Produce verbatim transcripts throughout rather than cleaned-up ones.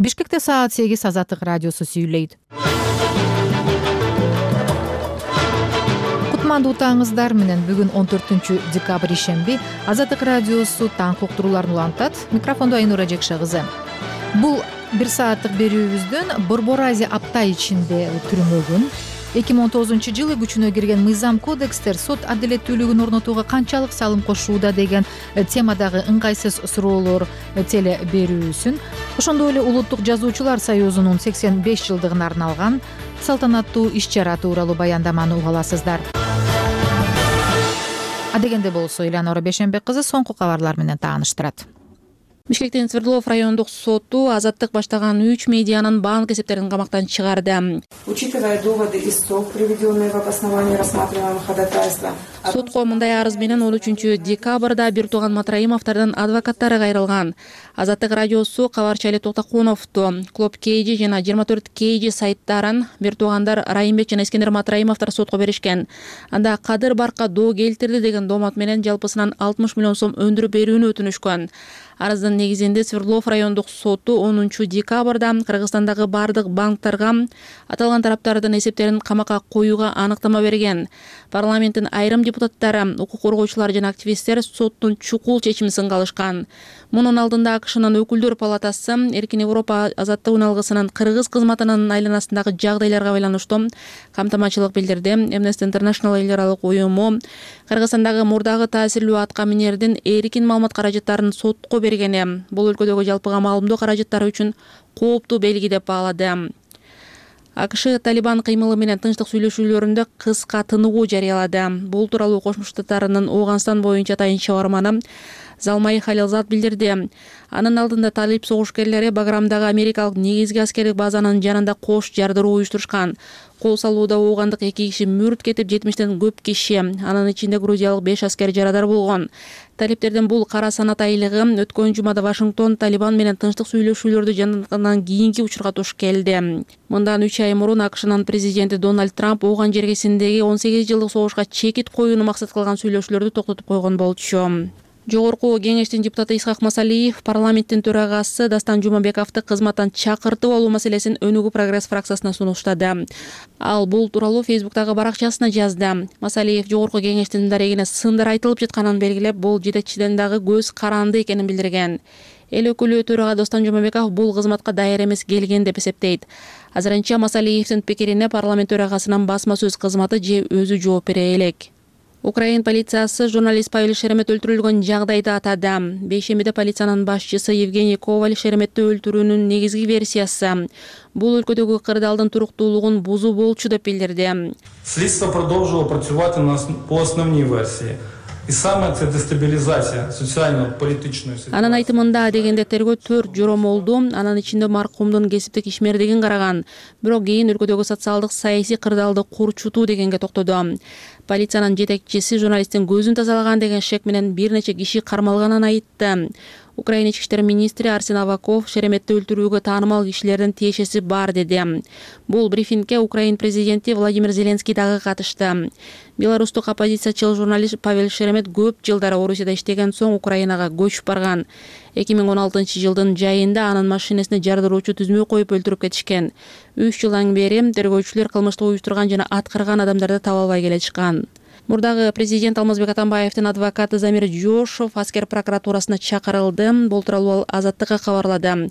Бишкекте саат сегиз Азаттык радиосу сүйлөйт. Кутмандуу таңыңыздар менен бүгүн он төртүнчү декабрь ишемби Азаттык радиосу таңкы уктурууларын улантат. Микрофондо Айнура Жекше кызы. Бул бир сааттык берүүбүздүн Борбор Азия апта ичинде түрмөгүн эки миң он тогузунчу жылы күчүнө кирген мыйзам кодекстер сот адилеттүүлүгүн орнотууга канчалык салым кошууда деген темадагы ыңгайсыз суроолор теле берүүсүн, ошондой эле Улуттук жазуучулар союзунун сексен беш жылдыгына арналган салтанаттуу иш-чара тууралуу баяндаманы уга аласыздар. Адегенде болсо Элеонора Бешенбек кызы соңку кабарлар менен тааныштырат. Бишкектин Свердлов райондук соту Азаттык баштаган үч медианын банк эсептерин камактан чыгарды. Учитывая доводы истов, приведенные в обосновании рассматриваемого ходатайства. Сотко мындай арыз менен он үчүнчү декабрда Биртуган Матраимовдордун адвокаттары кайрылган. Азаттык радиосу Кабарчы Али Токтокуновду, Клоп Кейджи жана жыйырма төрт Кейджи сайттарын Биртугандар Райымбек жана Искендер Матраимовдор сотко беришкен. Анда Кадыр Баркка доо келтирди деген доомат менен жалпысынан алтымыш миллион сом өндүрүп берүүнү өтүнүшкөн. Арыздын негизинде Свердлов райондук соту онунчу декабрда Кыргызстандагы бардык банктарга аталган тараптардын эсептерин камакка коюуга анықтама берген. Парламенттин айрым депутаттары, укук коргоочулар жана активисттер соттун чукул чечимин сынгалышкан. Мунун алдында АКШнын өкүлдөр палатасы Эркин Европа азаттык үналгысынын кыргыз кызматынын айланасындагы жагдайларга байланыштуу камтамачылык билдирди. Amnesty International эл аралык уюму Кыргызстандагы мурдагы таасирлүү атка минердин эркин маалымат каражаттарын сотко бергени бул өлкөдөгү жалпыга маалымдоо каражаттары үчүн кооптуу белги деп баалады. АКШ Талибан кыймылы менен тынчтык сүйлөшүүлөрүндө кыска тыныгуу жарыялады. Бул тууралуу Кошмо Штаттарынын Ооганстан боюнча атайын чабарманы Залмай Халилзад билдирди. Анын алдында талип согушкерлери Баграмдагы америкалык негизги аскердик базанын жанында кош жардыруу уюштурушкан. Кол салууда оогандык эки киши мүрт кетип, жетимиштен көп киши, анын ичинде грузиялык беш аскер жарадар болгон. Талиптердин бул кара санат айлыгы өткөн жумада Вашингтон Талибан менен тынчтык сүйлөшүүлөрдү жандангандан кийинки учурга туш келди. Мындан үч ай мурун АКШнын президенти Дональд Трамп Ооган жергесиндеги он сегиз жылдык согушка чекит коюуну максат кылган сүйлөшүүлөрдү токтотуп койгон болчу. Жогорку кеңештин депутаты Исхак Масалиев парламенттин төрагасы Дастан Жумабековду кызматтан чакыртып алуу маселесин Өнүгүү прогресс фракциясына сунуштады. Ал бул тууралуу Фейсбуктагы баракчасына жазды. Масалиев жогорку кеңештин дарегине сындар айтылып жатканын белгилеп, бул жетекчиден дагы көз каранды экенин билдирген. Эл өкүлү төрага Достон Жумабеков бул кызматка даяр эмес келген деп эсептейт. Азырынча Масалиевдин пикирине парламент төрагасынын басма сөз кызматы же өзү жооп бере элек. Украин полициясы журналист Павел Шеремет өлтүрүлгөн жагдайды атады. Бейшембиде полициянын башчысы Евгений Коваль Шереметти өлтүрүүнүн негизги версиясы бул өлкөдөгү кырдаалдын туруктуулугун бузуу болчу деп билдирди. Следство продолжило працювати по основній версії. И самая це дестабилизация социально-политичную ситуацию. Анын айтымында дегенде тергөө төрт жоромолду, анын ичинде маркумдун кесиптик ишмердигин караган. Бирок кийин өлкөдөгү социалдык саясий кырдаалды курчутуу дегенге токтоду. Полициянын жетекчиси журналисттин көзүн тазалаган деген шек менен бир нече киши кармалганын айтты. Украина ички иштер министри Арсен Аваков Шереметти өлтүрүүгө таанымал кишилердин тиешеси бар деди. Бул брифингке Украин президенти Владимир Зеленский дагы катышты. Белорустук оппозициячыл журналист Павел Шеремет көп жылдар Орусияда иштеген соң Украинага көчүп барган. эки миң он алтынчы жылдын жайында анын машинесине жардыруучу түзмө коюп өлтүрүп кетишкен. үч жылдан бери тергөөчүлөр кылмышты уюштурган жана аткарган адамдарды таба албай келишкен. Мурдагы президент Алмазбек Атамбаевдин адвокаты Замир Жошов аскер прокуратурасына чакырылды. Бул тууралуу Азаттыкка кабарлады.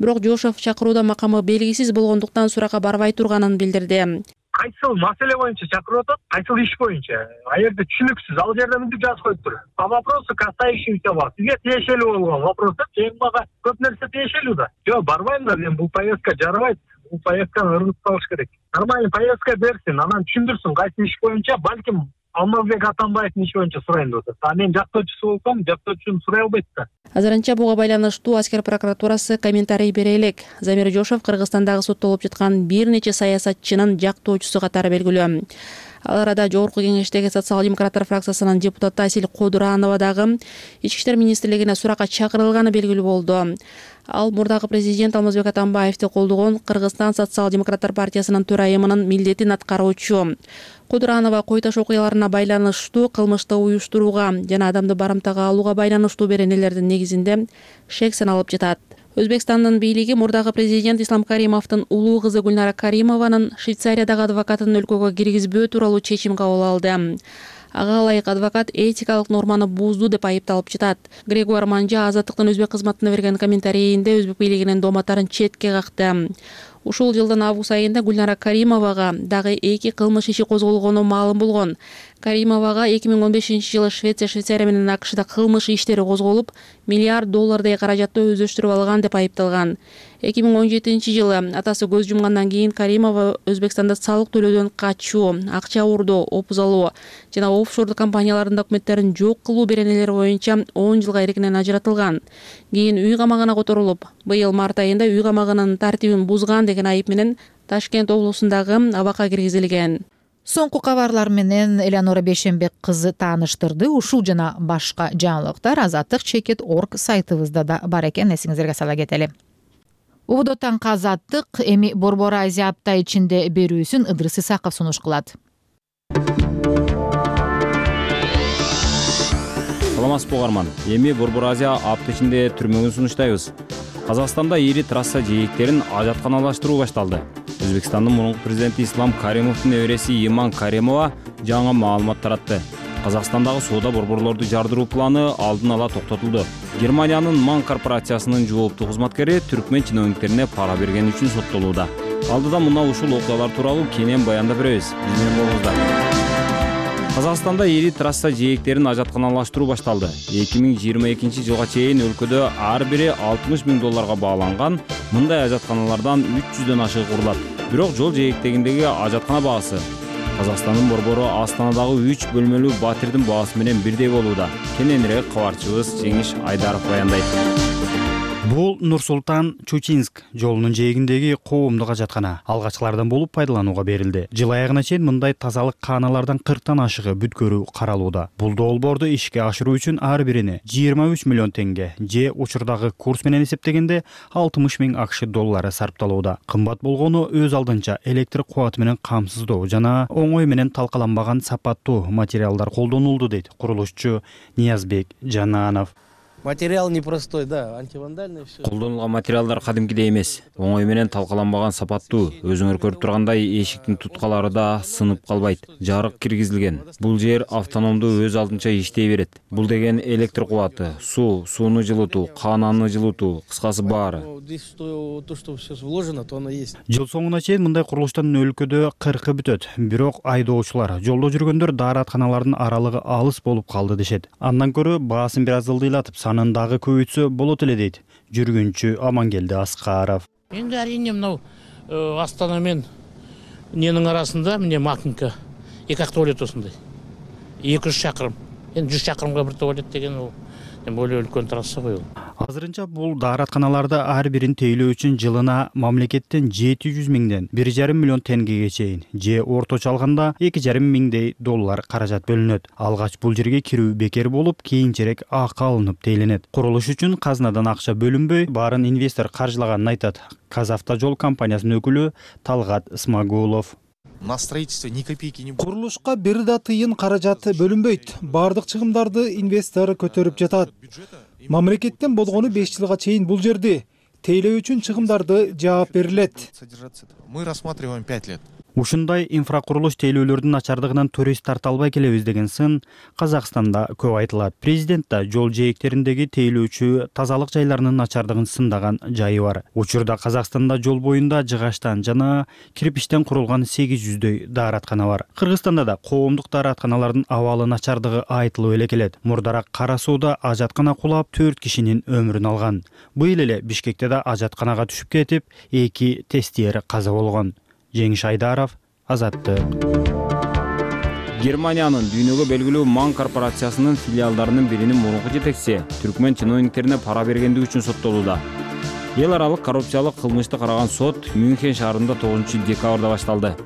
Бирок Жошов чакырууда макамы белгисиз болгондуктан суракка барбай турганын билдирди. Кайсыл маселе боюнча чакырып атат, кайсыл иш боюнча. А жерде түшүнүксүз, ал жерде мынтип жазып коюптур. По вопросу касающимся вас. Сизге тиешелүү болгон вопрос деп, эми мага көп нерсе тиешелүү да. Жок, барбайм да, мен бул повестка жарабайт. Бул повестканы ыргытып салыш керек. Нормальный повестка берсин, анан түшүндүрсүн кайсы иш боюнча, балким Алмазбек Атамбаевдин иши боюнча сурайын деп атат. А мен жактоочусу болсом, жактоочусун сурай албайт да. Азырынча буга байланыштуу аскер прокуратурасы комментарий бере элек. Замир Жошов Кыргызстандагы соттолуп жаткан бир нече саясатчынын жактоочусу катары белгилүү. Ал арада жогорку кеңештеги социал-демократтар фракциясынын депутаты Асил Кодуранова дагы ички иштер министрлигине суракка чакырылганы белгилүү болду. Ал мурдагы президент Алмазбек Атамбаевди колдогон Кыргызстан социал-демократтар партиясынын төрайымынын милдетин аткаруучу. Кодуранова кой таш окуяларына байланыштуу кылмышты уюштурууга жана адамды барымтага алууга байланыштуу беренелердин негизинде шек саналып жатат. Өзбекстандын бийлиги мурдагы президент Ислам Каримовдун улуу кызы Гүлнара Каримованын Швейцариядагы адвокатын өлкөгө киргизбөө тууралуу чечим кабыл алды. Ага ылайык адвокат этикалык норманы бузду деп айыпталып жатат. Грегуар Манжа Азаттыктын өзбек кызматына берген комментарийинде өзбек бийлигинин дооматтарын четке какты. Ушул жылдын август айында Гүлнара Каримовага дагы эки кылмыш иши козголгону маалым болгон. Каримовага эки миң он бешинчи жылы Швеция, Швейцария менен АКШда кылмыш иштери козголуп, миллиард доллардай каражатты өздөштүрүп алган деп айыпталган. эки миң он жетинчи жылы атасы көз жумгандан кийин Каримова Өзбекстанда салык төлөөдөн качуу, акча уурдоо, опуз алуу жана офшордук компаниялардын документтерин жок кылуу беренелери боюнча он жылга эркинен ажыратылган. Кийин үй камагына которулуп, быйыл март айында үй камагынын тартибин бузган деген айып менен Ташкент облусундагы абакка киргизилген. Соңку кабарлар менен Элеонора Бейшенбек кызы тааныштырды. Ушул жана башка жаңылыктар азаттык чекит точка орг сайтыбызда да бар экен, эсиңиздерге сала кетели. Убудоттан Азаттык эми Борбор Азия апта ичинде берүүсүн Ыдырыс Исаков сунуш кылат. Саламатсызбы угарман. Эми Борбор Азия апта ичинде түрмөгүн сунуштайбыз. Казакстанда ири трасса жээктерин ажатканалаштыруу башталды. Өзбекстандын мурунку президенти Ислам Каримовдун небереси Иман Каримова жаңы маалымат таратты. Казакстандагы соода борборлорду жардыруу планы алдын ала токтотулду. Германиянын Ман корпорациясынын жооптуу кызматкери түркмен чиновниктерине пара бергени үчүн соттолууда. Алдыда мына ушул окуялар тууралуу кенен баяндап беребиз. Биз менен болуңуздар. Казакстанда ири трасса жээктерин ажатканалаштыруу башталды. эки миң жыйырма экинчи жылга чейин өлкөдө ар бири алтымыш миң долларга бааланган мындай ажатканалардан үч жүздөн ашык курулат. Бирок жол жээктегиндеги ажаткана баасы Казакстандын борбору Астанадагы үч бөлмөлүү батирдин баасы менен бирдей болууда. Кененирээк кабарчыбыз Жеңиш Айдаров баяндайт. Бул Нур-Султан-Чучинск жолунун жээгиндеги коомдук ажаткана алгачкылардан болуп пайдаланууга берилди. Жыл аягына чейин мындай тазалык кааналардан кырктан ашыгы бүткөрүү каралууда. Бул долбоорду ишке ашыруу үчүн ар бирине жыйырма үч миллион теңге же учурдагы курс менен эсептегенде алтымыш миң акш доллары сарпталууда. Кымбат болгону өз алдынча электр кубаты менен камсыздоо жана оңой менен талкаланбаган сапаттуу материалдар колдонулду дейт курулушчу Ниязбек Жананов. Материал непростой, да, антивандальный все. Колдонулган материалдар кадимкидей эмес. Оңой менен талкаланбаган сапаттуу. Өзүңөр көрүп тургандай эшиктин туткалары да сынып калбайт. Жарык киргизилген. Бул жер автономдуу өз алдынча иштей берет. Бул деген электр кубаты, суу, сууну жылытуу, каананы жылытуу, кыскасы баары. То, что все вложено, то оно есть. Жыл соңуна чейин мындай курулуштан өлкөдө кыркы бүтөт. Бирок айдоочулар, жолдо жүргөндөр дааратканалардын аралыгы алыс болуп калды дешет. Андан көрө баасын бир аз ылдыйлатып санын дагы көбөйтсө болот эле дейт жүргүнчү Амангелди Аскаров. Энди арийне мынау Астана менен ненин арасында эмне Макинка эки ак туалет осундай. эки жүз чакырым. Энди жүз чакырымга бир туалет деген ол более үлкөн трасса го. Азырынча бул дааратканаларда ар бирин тейлөө үчүн жылына мамлекеттен жети жүз миңден бир жарым миллион теңгеге чейин же орточо алганда эки жарым миңдей доллар каражат бөлүнөт. Алгач бул жерге кирүү бекер болуп, кийинчерээк акы алынып дейленет. Курулуш үчүн казнадан акча бөлүнбөй, баарын инвестор каржылаганын айтат Казавтожол компаниясынын өкүлү Талгат Смагулов. На строительство ни копейки не будет. Курулушка бир да тыйын каражат бөлүнбөйт. Бардык чыгымдарды инвестор көтөрүп жатат. Мамлекеттен болгону беш жылга чейин бул жерди тейлөө үчүн чыгымдарды жаап берилет. Мы рассматриваем пять лет. Ушундай инфракурулуш тейлөөлөрдүн начардыгынан турист тарта албай келебиз деген сын Казакстанда көп айтылат. Президент да жол жээктериндеги тейлөөчү тазалык жайларынын начардыгын сындаган жайы бар. Учурда Казакстанда жол боюнда жыгачтан жана кирпичтен курулган сегиз жүздөй даараткана бар. Кыргызстанда да коомдук дааратканалардын абалы начардыгы айтылып эле келет. Мурдараак Кара сууда ажаткана кулап төрт кишинин өмүрүн алган. Быйыл эле Бишкекте да ажатканага түшүп кетип, эки тестиер каза болгон. Жеңиш Айдаров, Азаттык. Германиянын дүйнөгө белгилүү Ман корпорациясынын филиалдарынын биринин мурунку жетекчиси түркмен чиновниктерине пара бергендиги үчүн соттолууда. Эл аралык коррупциялык кылмышты караган сот Мюнхен шаарында тогузунчу декабрда башталды.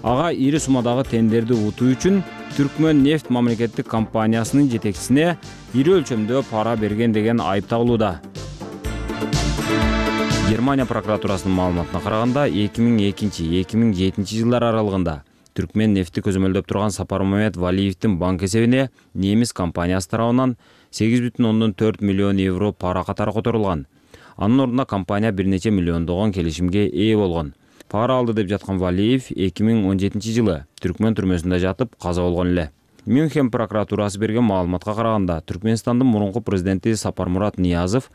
Ага ири суммадагы тендерди утуу үчүн Түркмен нефть мамлекеттик компаниясынын жетекчисине ири өлчөмдө пара берген деген айып тагылууда. Германия прокуратурасынын маалыматына караганда эки миң экинчи — эки миң жетинчи жылдар аралыгында Түркмен нефти көзөмөлдөп турган Сапармамет Валиевдин банк эсебине немис компаниясы тарабынан сегиз бүтүн ондон төрт миллион евро пара катары которулган. Анын ордуна компания бир нече миллиондогон келишимге ээ болгон. Пара алды деп жаткан Валиев эки миң он жетинчи жылы Түркмен түрмөсүндө жатып каза болгон эле. Мюнхен прокуратурасы берген маалыматка караганда, Түркмөнстандын мурунку президенти Сапармурат Ниязов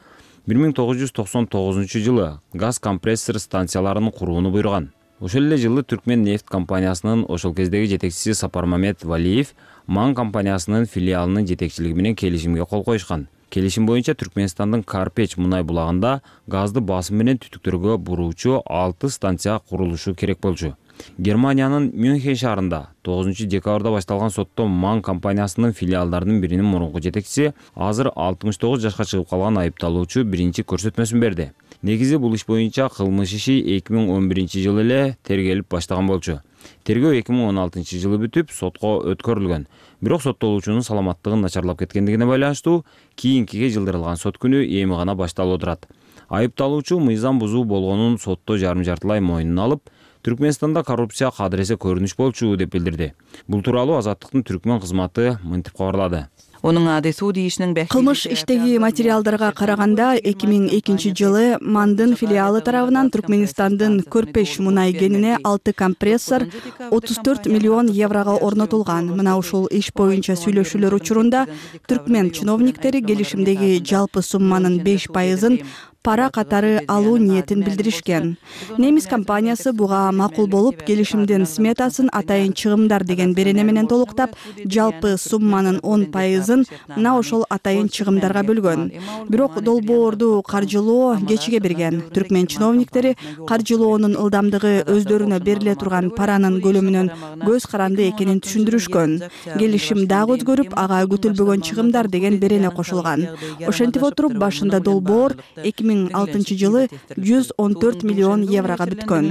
бир миң тогуз жүз токсон тогузунчу жылы газ компрессор станцияларын курууну буйруган. Ошол эле жылы Түркмен нефть компаниясынын ошол кездеги жетекчиси Сапармамет Валиев Ман компаниясынын филиалынын жетекчилиги менен келишимге кол коюшкан. Келишим боюнча Түркмөнстандын Карпеч мунай булагында газды басым менен түтүктөргө буруучу алты станция курулушу керек болчу. Германиянын Мюнхен шаарында тогузунчу декабрда башталган сотто Ман компаниясынын филиалдарынын биринин мурунку жетекчиси азыр алтымыш тогуз жашка чыгып калган айыпталуучу биринчи көрсөтмөсүн берди. Негизи бул иш боюнча кылмыш иши эки миң он биринчи жылы эле тергелип баштаган болчу. Тергөө эки миң он алтынчы жылы бүтүп, сотко өткөрүлгөн. Бирок соттолуучунун саламаттыгын начарлап кеткендигине байланыштуу кийинкиге жылдырылган сот күнү эми гана башталып отурат. Айыпталуучу мыйзам бузуу болгонун сотто жарым жартылай мойнуна алып, Түркмөнстанда коррупция кадыресе көрүнүш болчу деп билдирди. Бул тууралуу Азаттыктын Түркмөн кызматы мынтип кабарлады. Кылмыш иштеги материалдарга караганда эки миң экинчи жылы Мандын филиалы тарабынан Түркмөнстандын Көрпеш мунай кенине алты компрессор отуз төрт миллион еврого орнотулган. Мына ушул иш боюнча сүйлөшүүлөр учурунда Түркмен чиновниктери келишимдеги жалпы сумманын беш пайызын пара катары алуу ниетин билдиришкен. Немис компаниясы буга макул болуп, келишимдин сметасын атайын чыгымдар деген берене менен толуктап, жалпы сумманын он пайызын мына ошол атайын чыгымдарга бөлгөн. Бирок долбоорду каржылоо кечиге берген. Түркмен чиновниктери каржылоонун ылдамдыгы өздөрүнө бериле турган паранын көлөмүнөн көз каранды экенин түшүндүрүшкөн. Келишим дагы өзгөрүп, ага күтүлбөгөн чыгымдар деген берене кошулган. Ошентип отуруп, башында долбоор эки миң алтынчы жылы жүз он төрт миллион еврого бүткөн.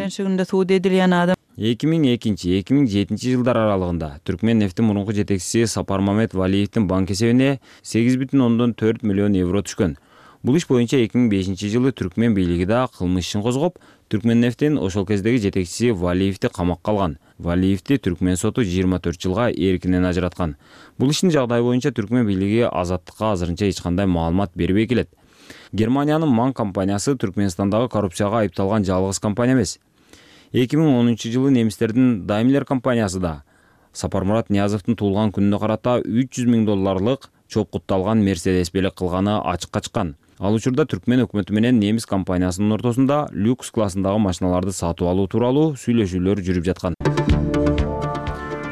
эки миң экинчи эки миң жетинчи жылдар аралыгында Түркмен нефтин мурунку жетекчиси Сапармамет Валиевдин банк эсебине сегиз бүтүн ондон төрт миллион евро түшкөн. Бул иш боюнча эки миң бешинчи жылы Түркмен бийлиги да кылмыш ишин козгоп, Түркмен нефтин ошол кездеги жетекчиси Валиевди камакка алган. Валиевди Түркмен соту жыйырма төрт жылга эркинен ажыраткан. Бул иштин жагдайы боюнча Түркмен бийлиги Азаттыкка азырынча эч кандай маалымат бербей келет. Германиянын Ман компаниясы Түркмөнстандагы коррупцияга айыпталган жалгыз компания эмес. эки миң онунчу жылы немистердин Daimler компаниясы да Сапармурат Ниязовдун туулган күнүнө карата үч жүз миң долларлык чопкутталган Мерседес белек кылганы ачыкка чыккан. Ал учурда Түркмен өкмөтү менен немис компаниясынын ортосунда люкс классындагы машиналарды сатып алуу тууралуу сүйлөшүүлөр жүрүп жаткан.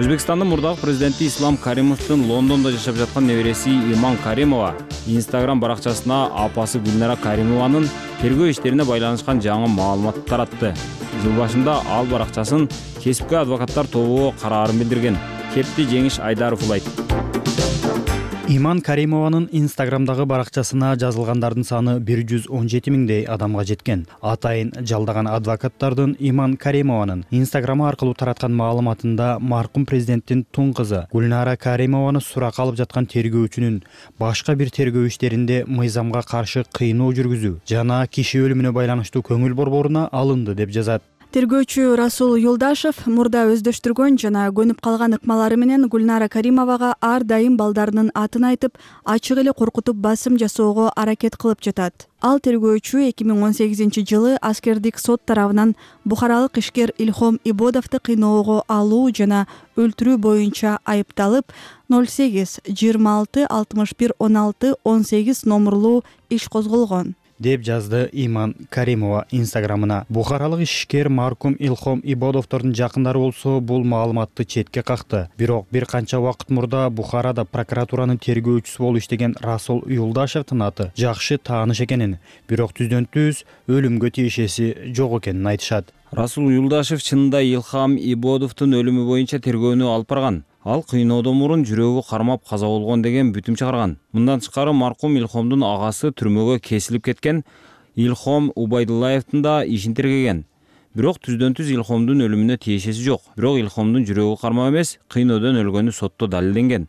Өзбекстандын мурдагы президенти Ислам Каримовдун Лондондо жашап жаткан небереси Иман Каримова Instagram баракчасына апасы Гүлнара Каримованын тергөө иштерине байланышкан жаңы маалымат таратты. Жыл башында ал баракчасын кесипкөй адвокаттар тобу караарын билдирген. Кепти Жеңиш Айдаров улайт. Иман Каримованын Инстаграмдагы баракчасына жазылгандардын саны бир жүз он жети миңдей адамга жеткен. Атайын жалдаган адвокаттардын Иман Каримованын Инстаграмы аркылуу тараткан маалыматында маркум президенттин тун кызы Гүлнара Каримованы суракка алып жаткан тергөөчүнүн башка бир тергөө иштеринде мыйзамга каршы кыйноо жүргүзүү жана киши өлүмүнө байланыштуу көңүл борборуна алынды деп жазат. Тергөөчү Расул Юлдашев мурда өздөштүргөн жана көнүп калган ыкмалары менен Гүлнара Каримовага ар дайым балдарынын атын айтып, ачык эле коркутуп басым жасоого аракет кылып жатат. Ал тергөөчү эки миң он сегизинчи жылы аскердик сот тарабынан бухаралык ишкер Илхом Ибодовду кыйноого алуу жана өлтүрүү боюнча айыпталып, ноль сегиз жыйырма алты алтымыш бир он алты он сегиз номурлуу иш козголгон деп жазды Иман Каримова Инстаграмына. Бухаралык ишкер маркум Илхом Ибодовдордун жакындары болсо бул маалыматты четке какты. Бирок бир канча убакыт мурда Бухарада прокуратуранын тергөөчүсү болуп иштеген Расул Юлдашевдин аты жакшы тааныш экенин, бирок түздөн түз өлүмгө тиешеси жок экенин айтышат. Расул Юлдашев чынында Илхам Ибодовдун өлүмү боюнча тергөөнү алып барган. Ал кыйноодон мурун жүрөгү кармап каза болгон деген бүтүм чыгарган. Мындан тышкары маркум Илхомдун агасы түрмөгө кесилип кеткен Илхом Убайдуллаевдин да ишин тергеген. Бирок түздөн түз Илхомдун өлүмүнө тиешеси жок. Бирок Илхомдун жүрөгү кармап эмес, кыйноодон өлгөнү сотто далилденген.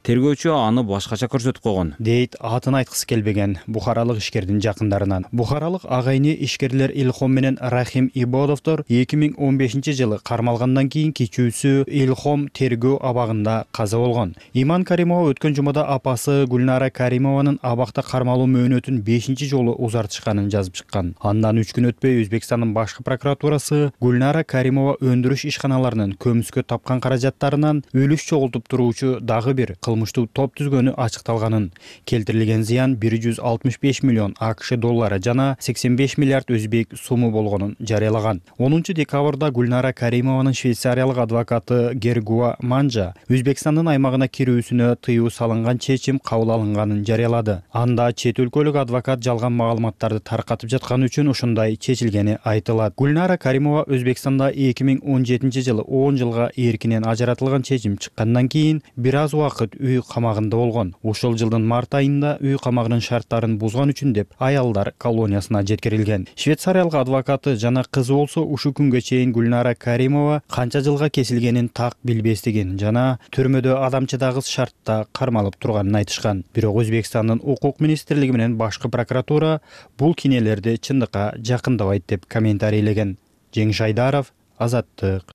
Тергөөчү аны башкача көрсөтүп койгон, дейт атын айткысы келбеген бухаралык ишкердин жакындарынан. Бухаралык агайны ишкерлер Илхом менен Рахим Ибодовдор эки миң он бешинчи жылы кармалгандан кийин кичүүсү Илхом тергөө абагында каза болгон. Иман Каримова өткөн жумада апасы Гүлнара Каримованын абакта кармалуу мөөнөтүн бешинчи жолу узартышканын жазып чыккан. Андан үч күн өтпөй Өзбекстандын башкы прокуратурасы Гүлнара Каримова өндүрүш ишканаларынын көмүскө тапкан каражаттарынан үлүш чогултуп туруучу дагы бир кылмыштуу топ түзгөнү ачыкталганын, келтирилген зыян бир жүз алтымыш беш миллион АКШ доллары жана сексен беш миллиард өзбек суму болгонун жарыялаган. онунчу декабрда Гүлнара Каримованын швейцариялык адвокаты Гергуа Манжа Өзбекстандын аймагына кирүүсүнө тыюу салынган чечим кабыл алынганын жарыялады. Анда чет өлкөлүк адвокат жалган маалыматтарды таркатып жатканы үчүн ушундай чечилгени айтылат. Гүлнара Каримова Өзбекстанда эки миң он жетинчи жылы он жылга эркинен ажыратылган чечим чыккандан кийин бир аз убакыт үй камагында болгон. Ушул жылдын март айында үй камагынын шарттарын бузган үчүн деп аялдар колониясына жеткирилген. Швейцариялык адвокаты жана кызы болсо ушул күнгө чейин Гүлнара Каримова канча жылга кесилгенин так билбестигин жана түрмөдө адамчыдагыс шартта кармалып турганын айтышкан. Бирок Өзбекстандын укук министрлиги менен башкы прокуратура бул кинелерди чындыкка жакындабайт деп комментарийлеген. Жеңиш Айдаров, Азаттык.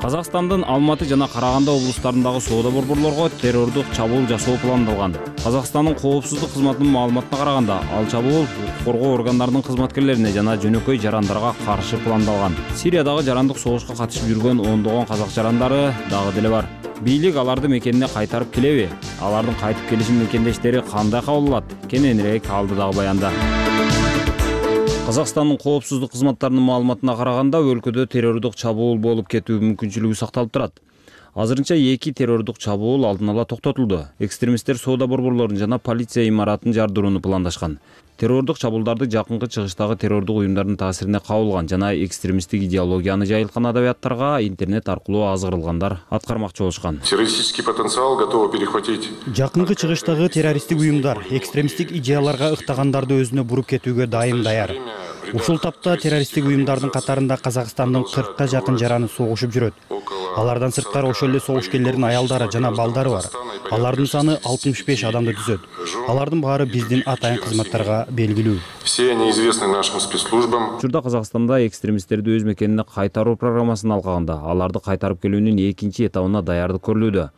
Казакстандын Алматы жана Караганды облустарындагы соода борборлорго террордук чабуул жасоо пландалган. Казакстандын коопсуздук кызматынын маалыматына караганда, ал чабуул укук коргоо органдарынын кызматкерлерине жана жөнөкөй жарандарга каршы пландалган. Сириядагы жарандык согушка катышып жүргөн ондогон казак жарандары дагы деле бар. Бийлик аларды мекенине кайтарып келеби? Алардын кайтып келиши мекендештери кандай кабыл алат? Кененирээк алдыдагы баянда. Казакстандын коопсуздук кызматтарынын маалыматына караганда, өлкөдө террордук чабуул болуп кетүү мүмкүнчүлүгү сакталып турат. Азырынча эки террордук чабуул алдын ала токтотулду. Экстремисттер соода борборлорун жана полиция имаратын жардырууну пландашкан. Террордук чабуулдарды жакынкы чыгыштагы террордук уюмдардын таасирине кабылган жана экстремисттик идеологияны жайылткан адабияттарга интернет аркылуу азгырылгандар аткармакчы болушкан. Террористический потенциал готовы перехватить. Жакынкы чыгыштагы террористтик уюмдар экстремисттик идеяларга ыктагандарды өзүнө буруп кетүүгө дайым даяр. Ушул тапта террористтик уюмдардын катарында Казакстандын кыркка жакын жараны согушуп жүрөт. Алардан сырткары ошол эле согушкерлердин аялдары жана балдары бар. Алардын саны алтымыш беш адамды түзөт. Алардын баары биздин атайын кызматтарга белгилүү. Все они известны нашим спецслужбам. Учурда Казакстанда экстремисттерди өз мекенине кайтаруу программасын алганда, аларды кайтарып келүүнүн экинчи этабына даярдык көрүлүүдө.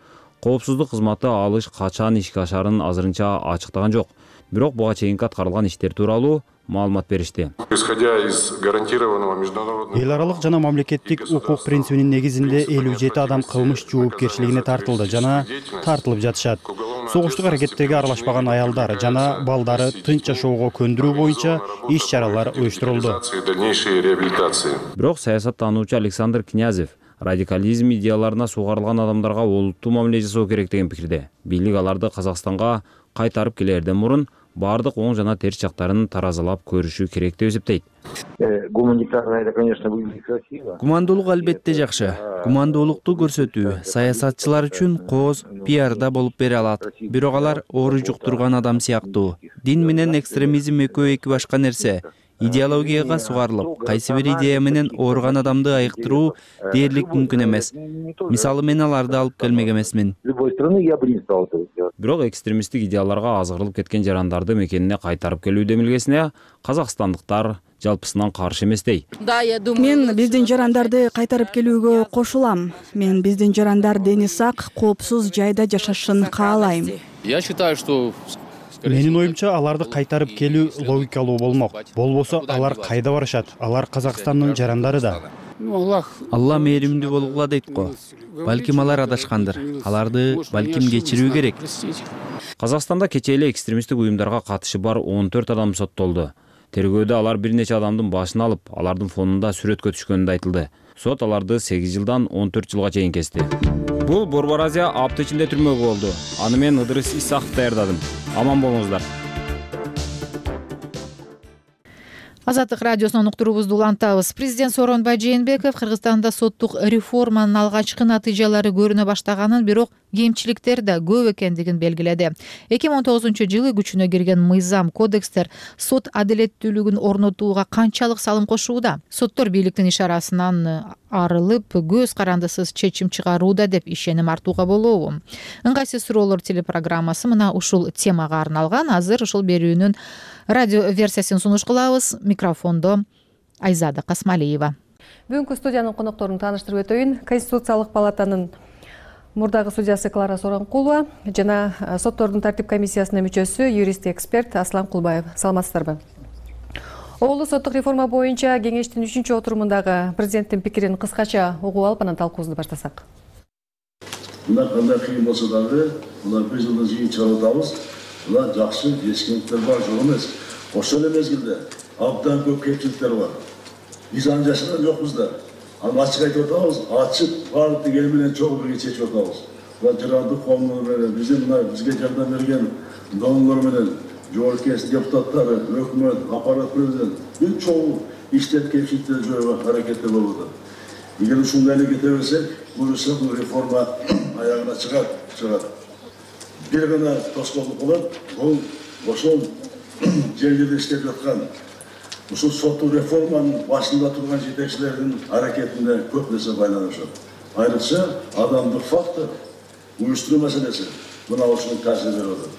Коопсуздук кызматы алыш качан ишке ашарын азырынча ачыктаган жок. Бирок буга чейинки аткарылган иштер тууралуу маалымат беришти. Исходя из гарантированного международного эл аралык жана мамлекеттик укук принцибинин негизинде элүү жети адам кылмыш жоопкерчилигине тартылды жана тартылып жатышат. Согуштук аракеттерге аралашпаган аялдар жана балдары тынч жашоого көндүрүү боюнча иш-чаралар уюштурулду. Бирок саясаттануучу Александр Князев радикализм идеяларына сугарылган адамдарга олуттуу мамиле жасоо керек деген пикирде. Бийлик аларды Казакстанга кайтарып келерден мурун бардык оң жана терс жактарын таразалап көрүшү керек деп эсептейт. Гуманитарно это, конечно, выглядит красиво. Гумандуулук албетте жакшы. Гумандуулукту көрсөтүү саясатчылар үчүн кооз пиарда болуп бере алат. Бирок алар оору жуктурган адам сыяктуу. Дин менен экстремизм экөө эки башка нерсе. Идеологияга сугарылып, кайсы бир идея менен ооруган адамды айыктыруу дээрлик мүмкүн эмес. Мисалы мен аларды алып келмек эмесмин. Бирок экстремисттик идеяларга азгырылып кеткен жарандарды мекенине кайтарып келүү демилгесине казакстандыктар жалпысынан каршы эместей. Мен биздин жарандарды кайтарып келүүгө кошулам. Мен биздин жарандар дени сак, коопсуз жайда жашашын каалайм. Я считаю, что Менин оюмча аларды кайтарып келүү логикалуу болмок. Болбосо алар кайда барышат? Алар Казакстандын жарандары да. Алла мээримдүү болгула дейт го. Балким алар адашкандыр. Аларды балким кечирүү керек. Казакстанда кечээ эле экстремисттик уюмдарга катышы бар он төрт адам соттолду. Тергөөдө алар бир нече адамдын башын алып, алардын фонунда сүрөткө түшкөнү айтылды. Сот аларды сегиз жылдан он төрт жылга чейин кести. Бул Борбор Азия апта ичинде түрмөгө болду. Аны мен Ыдырыс Исаков даярдадым. Аман болуңуздар. Азаттык радиосунун уктуруубузду улантабыз. Президент Сооронбай Жээнбеков Кыргызстанда соттук реформанын алгачкы натыйжалары көрүнө баштаганын, бирок кемчиликтер да көп экендигин белгиледи. эки миң он тогузунчу жылы күчүнө кирген мыйзам, кодекстер сот адилеттүүлүгүн орнотууга канчалык салым кошууда? Соттор бийликтин ишарасынан арылып көз карандысыз чечим чыгарууда деп ишеним артууга болобу? Ыңгайсыз суроолор телепрограммасы мына ушул темага арналган. Азыр ушул берүүнүн радио версиясын сунуш кылабыз. Микрофондо Айзада Касмалиева. Бүгүнкү студиянын конокторун тааныштырып өтөйүн. Конституциялык палатанын мурдагы судьясы Клара Сооронкулова жана соттордун тартип комиссиясынын мүчөсү, юрист эксперт Аслан Кулбаев. Саламатсыздарбы? Оолу соттук реформа боюнча кеңештин үчүнчү отурумундагы президенттин пикирин кыскача угуп алып, анан талкуубузду баштасак. Мына кандай кыйын болсо дагы, мына бир жылдан жыйын чыгарып атабыз. Мына жакшы жетишкендиктер бар, жок эмес. Ошол эле мезгилде абдан көп кемчиликтер бар. Биз аны жашаган жокпуз да. Аны ачык айтып атабыз, ачык бардык эл менен чогуу бирге чечип атабыз. Мына жыраардык коомдор менен, биздин мына бизге жардам берген донорлор менен, жоопкерчилик депутаттары, өкмөт, аппарат менен бир чогуу иштеп кемчиликтерди жоюуга аракеттер болуп атат. Эгер ушундай эле кете берсек, буюрса бул реформа аягына чыгат, чыгат. Бир гана тоскоолдук болот, бул ошол жер жерде иштеп жаткан ушул соттук реформанын башында турган жетекчилердин аракетине көп нерсе байланышат. Айрыкча адамдык фактор, уюштуруу маселеси мына ушуну таасир берип атат.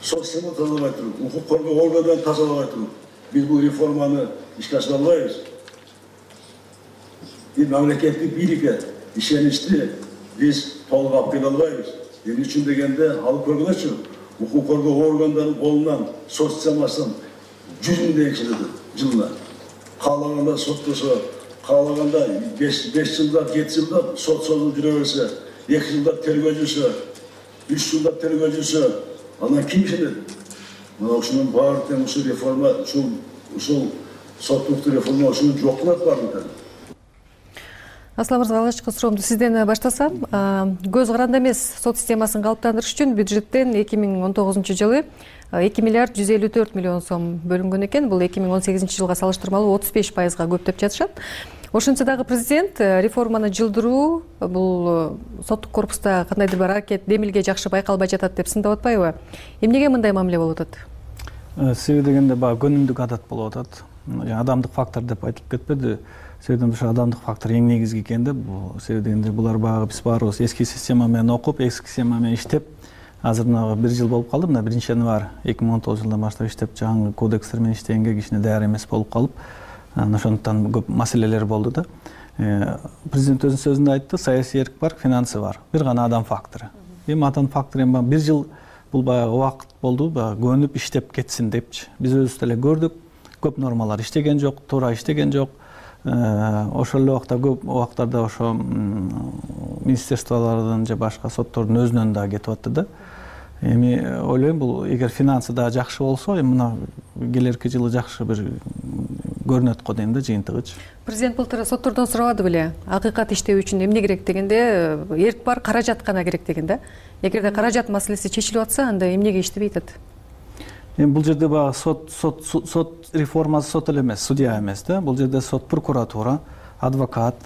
Сот система тазалабай туруп, укук коргоо органдарын тазалабай туруп, биз бул реформаны ишке ашыра албайбыз. Биз мамлекеттик бийликке ишеничти биз толук алып келе албайбыз. Эмне үчүн дегенде, алып көргүлөчү, укук коргоо органдарынын колунан сот системасынан жүз миң теңге жылына. Каалаганда соттосо, каалаганда беш жылда, жети жылда сот созулуп жүрө берсе, эки жылда тергөө жүрсө, үч жылда тергөө жүрсө, анан ким ишенет? Мына ушунун баары тең ушул реформа, ушул ушул соттук реформа ушуну жок кылат баардыгы. Аслан мырза, алгачкы суроомду сизден баштасам, көз каранды эмес сот системасын калыптандырыш үчүн бюджеттен эки миң он тогузунчу жылы эки миллиард жүз элүү төрт миллион сом бөлүнгөн экен. Бул эки миң он сегизинчи жылга салыштырмалуу отуз беш пайызга көп деп жатышат. Ошентсе дагы президент реформаны жылдыруу бул соттук корпуста кандайдыр бир аракет демилге жакшы байкалбай жатат деп сындап атпайбы? Эмнеге мындай мамиле болуп атат? Себеби дегенде баягы көнүмдүк адат болуп атат. Адамдык фактор деп айтылып кетпеди. Себеби ошо адамдык фактор эң негизги экен да. Себеби дегенде булар баягы биз баарыбыз эски система менен окуп, эски система менен иштеп, азыр мына бир жыл болуп калды. Мына биринчи январь эки миң он тогузунчу жылдан баштап иштеп, жаңы кодекстер менен иштегенге кичине даяр эмес болуп калып, ошондуктан көп маселелер болду да. Президент өзүнүн сөзүндө айтты, саясий эрк бар, финансы бар. Бир гана адам фактору. Эми адам фактору эми бир жыл бул баягы убакыт болду, баягы көнүп иштеп кетсин депчи. Биз өзүбүз деле көрдүк, көп нормалар иштеген жок, туура иштеген жок. Ошол эле убакта көп убактарда ошо министерстволордун же башка соттордун өзүнөн да кетип атты да. Эми ойлойм, бул эгер финансы да жакшы болсо, эми мына келерки жылы жакшы бир көрүнөт го дейм да жыйынтыгычы. Президент былтыр соттордон сурабады беле, акыйкат иштөө үчүн эмне керек дегенде, эрк бар, каражат гана керек деген да. Эгерде каражат маселеси чечилип атса, анда эмнеге иштебей атат? Эми бул жерде баягы сот сот сот реформасы сот эле эмес, судья эмес да. Бул жерде сот, прокуратура, адвокат,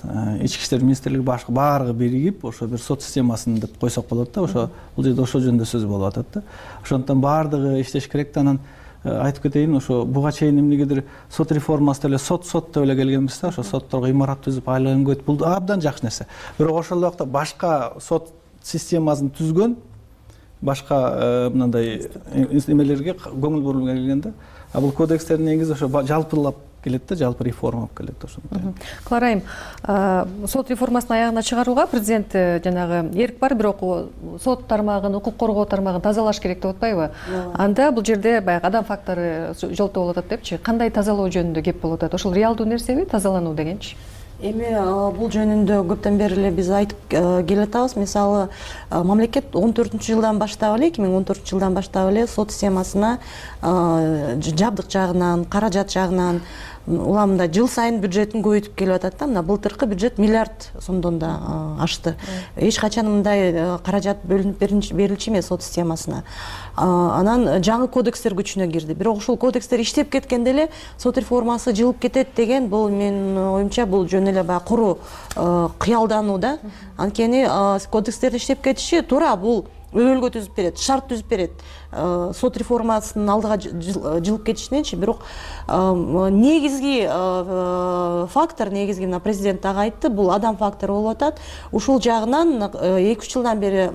ички иштер министрлиги башка баардыгы биригип, ошо бир сот системасын деп койсок болот да. Ошо бул жерде ошол жөнүндө сөз болуп атат да. Ошондуктан баардыгы иштеш керек да. Анан айтып кетейин, ошо буга чейин эмнегедир сот реформасы эле сот сот деп эле келгенбиз да. Ошо сотторго имарат түзүп айлыгын көтүп, бул абдан жакшы нерсе. Бирок ошол эле убакта башка сот системасын түзгөн башка мындай эмелерге көңүл бурулган келгенде, а бул кодекстердин негизи ошо жалпылап келет да, жалпы реформа болуп келет ошондой. Кларайым, сот реформасын аягына чыгарууга президент жанагы эрк бар, бирок сот тармагын, укук коргоо тармагын тазалаш керек деп атпайбы? Анда бул жерде баягы адам фактору жолтоо болуп атат депчи. Кандай тазалоо жөнүндө кеп болуп атат? Ошол реалдуу нерсеби тазалануу дегенчи? Эми бул жөнүндө көптөн бери эле биз айтып келатабыз. Мисалы, мамлекет он төртүнчү жылдан баштап эле, эки миң он төртүнчү жылдан баштап эле сот системасына жабдык жагынан, каражат жагынан уламда жыл сайын бюджетин көбөйтүп келип атат да. Мына былтыркы бюджет миллиард сомдон да ашты. Эч качан мындай каражат бөлүнүп берилчү эмес сот системасына. Анан жаңы кодекстер күчүнө кирди. Бирок ошол кодекстер иштеп кеткенде эле сот реформасы жылып кетет деген, бул менин оюмча бул жөн эле баягы куру кыялдануу да. Анткени кодекстердин иштеп кетиши туура, бул өбөлгө түзүп берет, шарт түзүп берет сот реформасынын алдыга жылып кетишиненчи. Бирок негизги фактор, негизги мына президент дагы айтты, бул адам фактору болуп атат. Ушул жагынан эки үч жылдан бери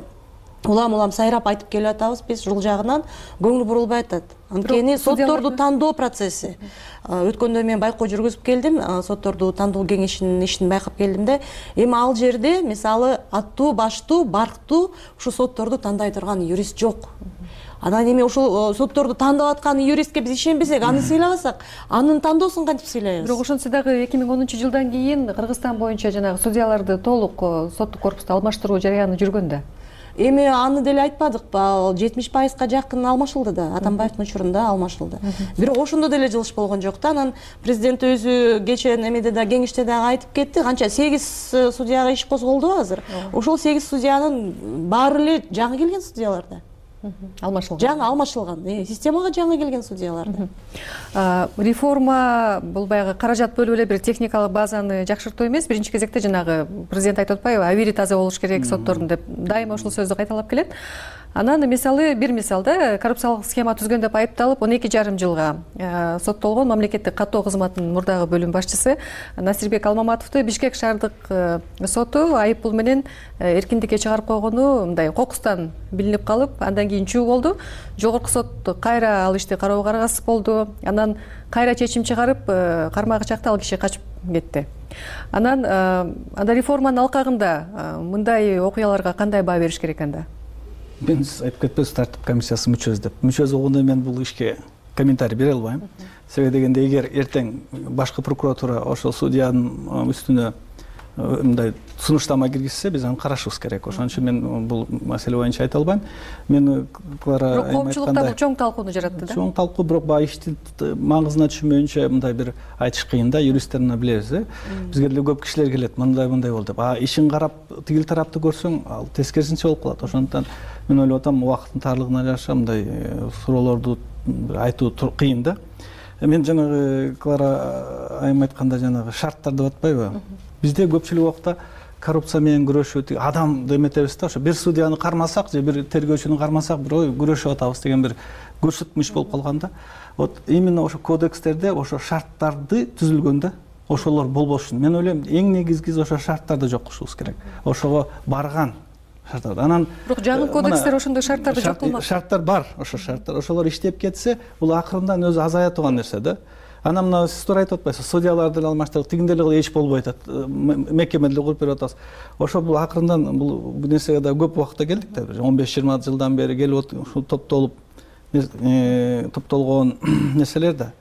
улам улам сайрап айтып келип атабыз, биз ушул жагынан көңүл бурулбай атат. Анткени сотторду тандоо процесси, өткөндө мен байкоо жүргүзүп келдим, сотторду тандоо кеңешинин ишин байкап келдим да, эми ал жерде мисалы аттуу, баштуу, барктуу ушу сотторду тандай турган юрист жок. Анан эми ушул сотторду тандап аткан юристке биз ишенбесек, аны сыйлабасак, анын тандоосун кантип сыйлайбыз? Бирок ошентсе дагы эки миң онунчу жылдан кийин Кыргызстан боюнча жанагы судьяларды толук соттук корпусту алмаштыруу жарыяны жүргөн да. Эми аны деле айтпадыкпы, жетимиш пайызга жакын алмашылды да, Атамбаевдин учурунда алмашылды. Бирок ошондо деле жылыш болгон жок да. Анан президент өзү кечээ эмеде да, кеңеште дагы айтып кетти, канча сегиз судьяга иш козголду азыр. Ошол сегиз судьянын баары эле жаңы келген судьялар да. Алмашылган. Жаңы алмашылган, системага жаңы келген судьялар да. Реформа бул баягы каражат бөлүп эле бир техникалык базаны жакшыртуу эмес, биринчи кезекте жанагы президент айтып атпайбы, абийири таза болуш керек соттордун деп дайыма ушул сөздү кайталап келет. Анан мисалы бир мисалда коррупциялык схема түзгөн деп айыпталып он эки жарым жылга соттолгон мамлекеттик каттоо кызматынын мурдагы бөлүм башчысы Насирбек Алмаматовду Бишкек шаардык соту айып пул менен эркиндикке чыгарып койгону мындай кокустан билинип калып, андан кийин чуу болду. Жогорку сот кайра ал ишти кароого аргасыз болду. Анан кайра чечим чыгарып, кармагы чакта ал киши качып кетти. Анан анда реформанын алкагында мындай окуяларга кандай баа бериш керек анда? Мен айтып кетпес тартип комиссиясы мүчөсү деп. Мүчөсү болгондо мен бул ишке комментарий бере албайм. Себеби дегенде эгер эртең башкы прокуратура ошол судьянын үстүнө мындай сунуштама киргизсе, биз аны карашыбыз керек. Ошон үчүн мен бул маселе боюнча айта албайм. Мен Клара айткандай, коомчулукта бул чоң талкууну жаратты да. Чоң талкуу, бирок баягы иштин маңызына түшүнмөйүнчө мындай бир айтыш кыйын да, юристтер мына билебиз, э. Бизге деле көп кишилер келет, мындай мындай болду деп. А ишин карап тигил тарапты көрсөң, ал тескерисинче болуп калат. Ошондуктан мен ойлоп атам, убакыттын тарлыгына жараша мындай суроолорду айтуу кыйын да. Мен жанагы Клара айым айтканда жанагы шарттар деп атпайбы? Бизде көпчүлүк убакта коррупция менен күрөшүү, адам деметебиз да, ошо бир судьяны кармасак же бир тергөөчүнү кармасак, бир ой күрөшүп атабыз деген бир көрсөтмүш болуп калган да. Вот именно ошо кодекстерде ошо шарттарды түзүлгөндө ошолор болбошу. Мен ойлойм, эң негизгиси ошо шарттарды жок кылышыбыз керек. Ошого барган шарттар. Анан бирок жаңы кодекстер ошондой шарттарды жок кылмак. Шарттар бар, ошо шарттар. Ошолор иштеп кетсе, бул акырындан өзү азая турган нерсе да. Анан мына сиз туура айтып атпайсызбы, судьяларды деле алмаштырып, тигинде деле эч болбой атат, мекеме деле куруп берип атабыз. Ошо бул акырындан бул нерсеге да көп убакытта келдик да, он беш жыйырма жылдан бери келип ушул топтолуп топтолгон нерселер да.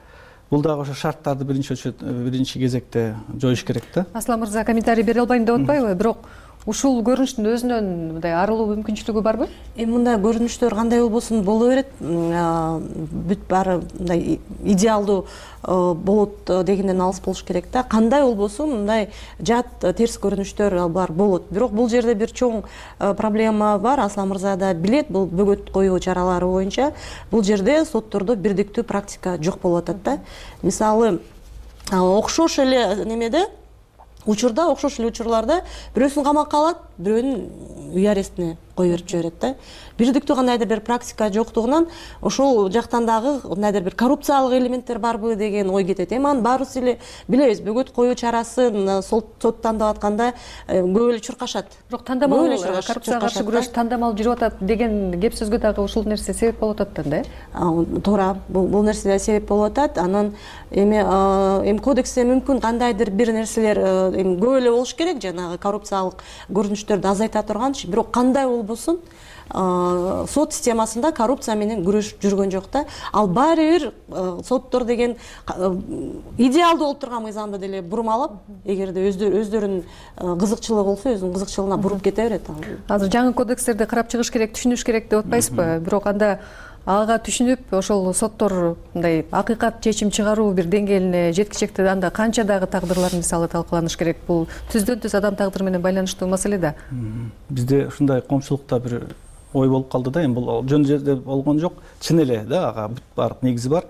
Бул дагы ошо шарттарды биринчи биринчи кезекте жоюш керек да. Аслан мырза комментарий бере албайм деп атпайбы, бирок ушул көрүнүштүн өзүнөн мындай арылуу мүмкүнчүлүгү барбы? Эми мындай көрүнүштөр кандай болбосун боло берет. Бүт баары мындай идеалдуу болот дегенден алыс болуш керек да. Кандай болбосун мындай жат терс көрүнүштөр бар болот. Бирок бул жерде бир чоң проблема бар. Аслан мырза да билет, бул бөгөт коюу чаралары боюнча бул жерде соттордо бирдиктүү практика жок болуп атат да. Мисалы, окшош эле немеде учурда, окшош эле учурларда бирөөсүн камакка алат, бирөөнүн үй арестине коюп берип жиберет да. Бирдиктүү кандайдыр бир практика жоктугунан ошол жактан дагы кандайдыр бир коррупциялык элементтер барбы деген ой кетет. Эми анын баарыбыз эле билебиз, бөгөт коюу чарасын сот тандап атканда көп эле чуркашат. Бирок тандамал коррупцияга каршы күрөш тандамал жүрүп атат деген кеп сөзгө дагы ушул нерсе себеп болуп атат да, э? Туура, бул нерсе да себеп болуп атат. Анан эми эми кодексте мүмкүн кандайдыр бир нерселер эми көп эле болуш керек, жанагы коррупциялык көрүнүштөрдү азайта турганчы, бирок кандай болбосун сот системасында коррупция менен күрөш жүргөн жок да. Ал баары бир соттор деген идеалдуу болуп турган мыйзамды деле бурмалап, эгерде өздөрүнүн кызыкчылыгы болсо, өзүнүн кызыкчылыгына буруп кете берет. Азыр жаңы кодекстерди карап чыгыш керек, түшүнүш керек деп атпайсызбы? Бирок анда ага түшүнүп, ошол соттор мындай акыйкат чечим чыгаруу бир деңгээлине жеткичекти, анда канча дагы тагдырлар мисалы талкаланыш керек? Бул түздөн түз адам тагдыры менен байланыштуу маселе да. Бизде ушундай коомчулукта бир ой болуп калды да, эми бул жөн жерде болгон жок, чын эле да, ага бүт баардык негизи бар.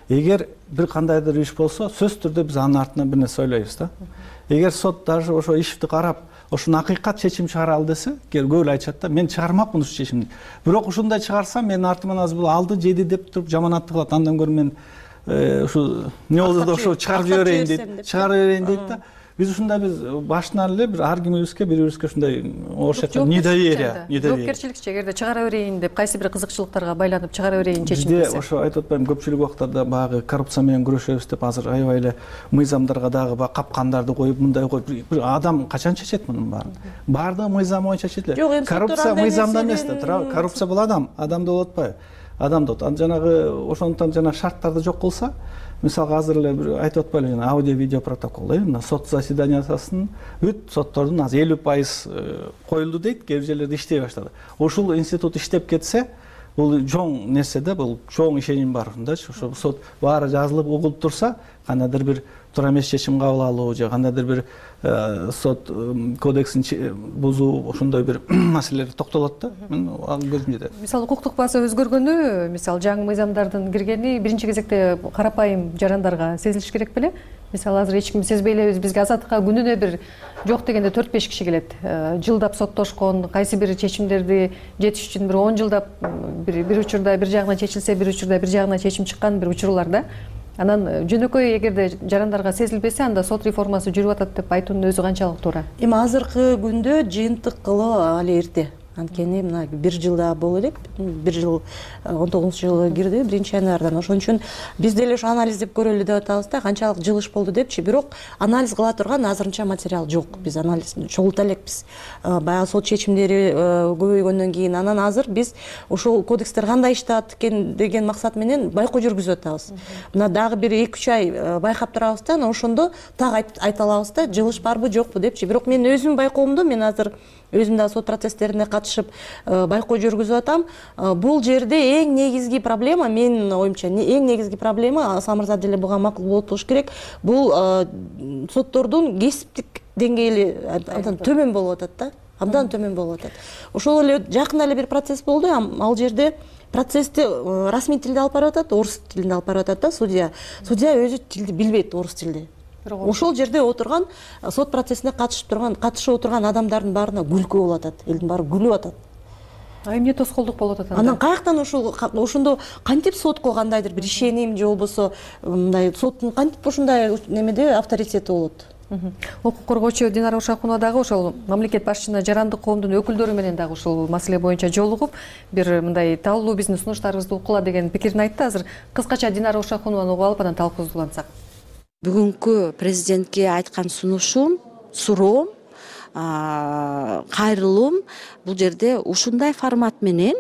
Эгер бир кандайдыр иш болсо, сөзсүз түрдө биз анын артынан бир нерсе ойлойбуз да. Эгер сот даже ошо ишти карап, ошону акыйкат чечим чыгара ал десе, көбү эле айтышат да, мен чыгармакмын ушул чечимди. Бирок ушундай чыгарсам менин артыман азыр бул алды жеди деп туруп жаманатты кылат. Андан көрө мен ушу эмне болду да ошо чыгарып жиберейин дейт, чыгарып берейин дейт да. Биз ушундай биз башынан эле бир ар кимибизге бири-бирибизге ушундай орусча недоверие, недоверие. Жоопкерчиликчи, эгерде чыгара берейин деп кайсы бир кызыкчылыктарга байланып чыгара берейин чечим десе. Бизде ошо айтып атпаймынбы, көпчүлүк убактарда баягы коррупция менен күрөшөбүз деп азыр аябай эле мыйзамдарга дагы баягы капкандарды коюп, мындай коюп, бир адам качан чечет мунун баарын? Баардыгы мыйзам боюнча чечилет. Коррупция мыйзамда эмес да, туурабы? Коррупция бул адам, адамда болуп атпайбы? Адамда болот. Ан жанагы ошондуктан жана шарттарды жок кылса, мисалга азыр эле бир айтып атпайлы, жана аудио видео протокол, э, мына сот заседаниясын бүт соттордун азыр элүү пайыз коюлду дейт, кээ бир жерлерде иштей баштады. Ушул институт иштеп кетсе, бул чоң нерсе да, бул чоң ишеним бар мындачы. Ошо сот баары жазылып угулуп турса, кандайдыр бир туура эмес чечим кабыл алуу же кандайдыр бир сот кодексин бузуу, ошондой бир маселелер токтолот да. Мен көзүм жетет. Мисалы укуктук база өзгөргөнү, мисалы жаңы мыйзамдардын киргени биринчи кезекте карапайым жарандарга сезилиш керек беле? Мисалы азыр эч ким сезбей элебиз, бизге азаттыкка күнүнө бир жок дегенде төрт беш киши келет. Жылдап соттошкон, кайсы бир чечимдерди жетиш үчүн бир он жылдап бир учурда бир жагына чечилсе, бир учурда бир жагына чечим чыккан бир учурлар да. Анан жөнөкөй эгерде жарандарга сезилбесе, анда сот реформасы жүрүп атат деп айтуунун өзү канчалык туура? Эми азыркы күндө жыйынтык кылуу али эрте. Анткени мына бир жылда боло элек, бир жыл он тогузунчу жылы кирди, биринчи январдан. Ошон үчүн биз деле ошо анализдеп көрөлү деп атабыз да, канчалык жылыш болду депчи. Бирок анализ кыла турган азырынча материал жок. Биз анализ чогулта элекпиз. Баягы сот чечимдери көбөйгөндөн кийин анан азыр биз ошол кодекстер кандай иштеп экен деген максат менен байкоо жүргүзүп атабыз. Мына дагы бир эки үч ай байкап турабыз да, анан ошондо так айта алабыз да, жылыш барбы жокпу депчи. Бирок мен өзүм байкоомдо, мен азыр өзүм да сот процесстерине катышып байкоо жүргүзүп атам. Бул жерде эң негизги проблема, менин оюмча, эң негизги проблема, Аслан мырза деле буга макул болуп болуш керек, бул соттордун кесиптик деңгээли абдан төмөн болуп атат да, абдан төмөн болуп атат. Ошол эле жакында эле бир процесс болду, ал жерде процессти расмий тилде алып барып атат, орус тилинде алып барып атат да, судья. Судья өзү тилди билбейт, орус тилде. Ошол жерде отурган, сот процессине катышып турган, катышып отурган адамдардын баарына күлкү болуп атат. Элдин баары күлүп атат. А эмне тоскоолдук болуп атат анда? Анан каяктан ошол ошондо кантип сотко кандайдыр бир ишеним же болбосо мындай соттун кантип ушундай немеде авторитети болот? Укук коргоочу Динара Ушакунова дагы ошол мамлекет башчысына жарандык коомдун өкүлдөрү менен дагы ушул маселе боюнча жолугуп, бир мындай талуу биздин сунуштарыбызды уккула деген пикирин айтты. Азыр кыскача Динара Ушакунованы угуп алып анан талкуубузду улантсак. Бүгүнкү президентке айткан сунушум, суроом, кайрылуум бул жерде ушундай формат менен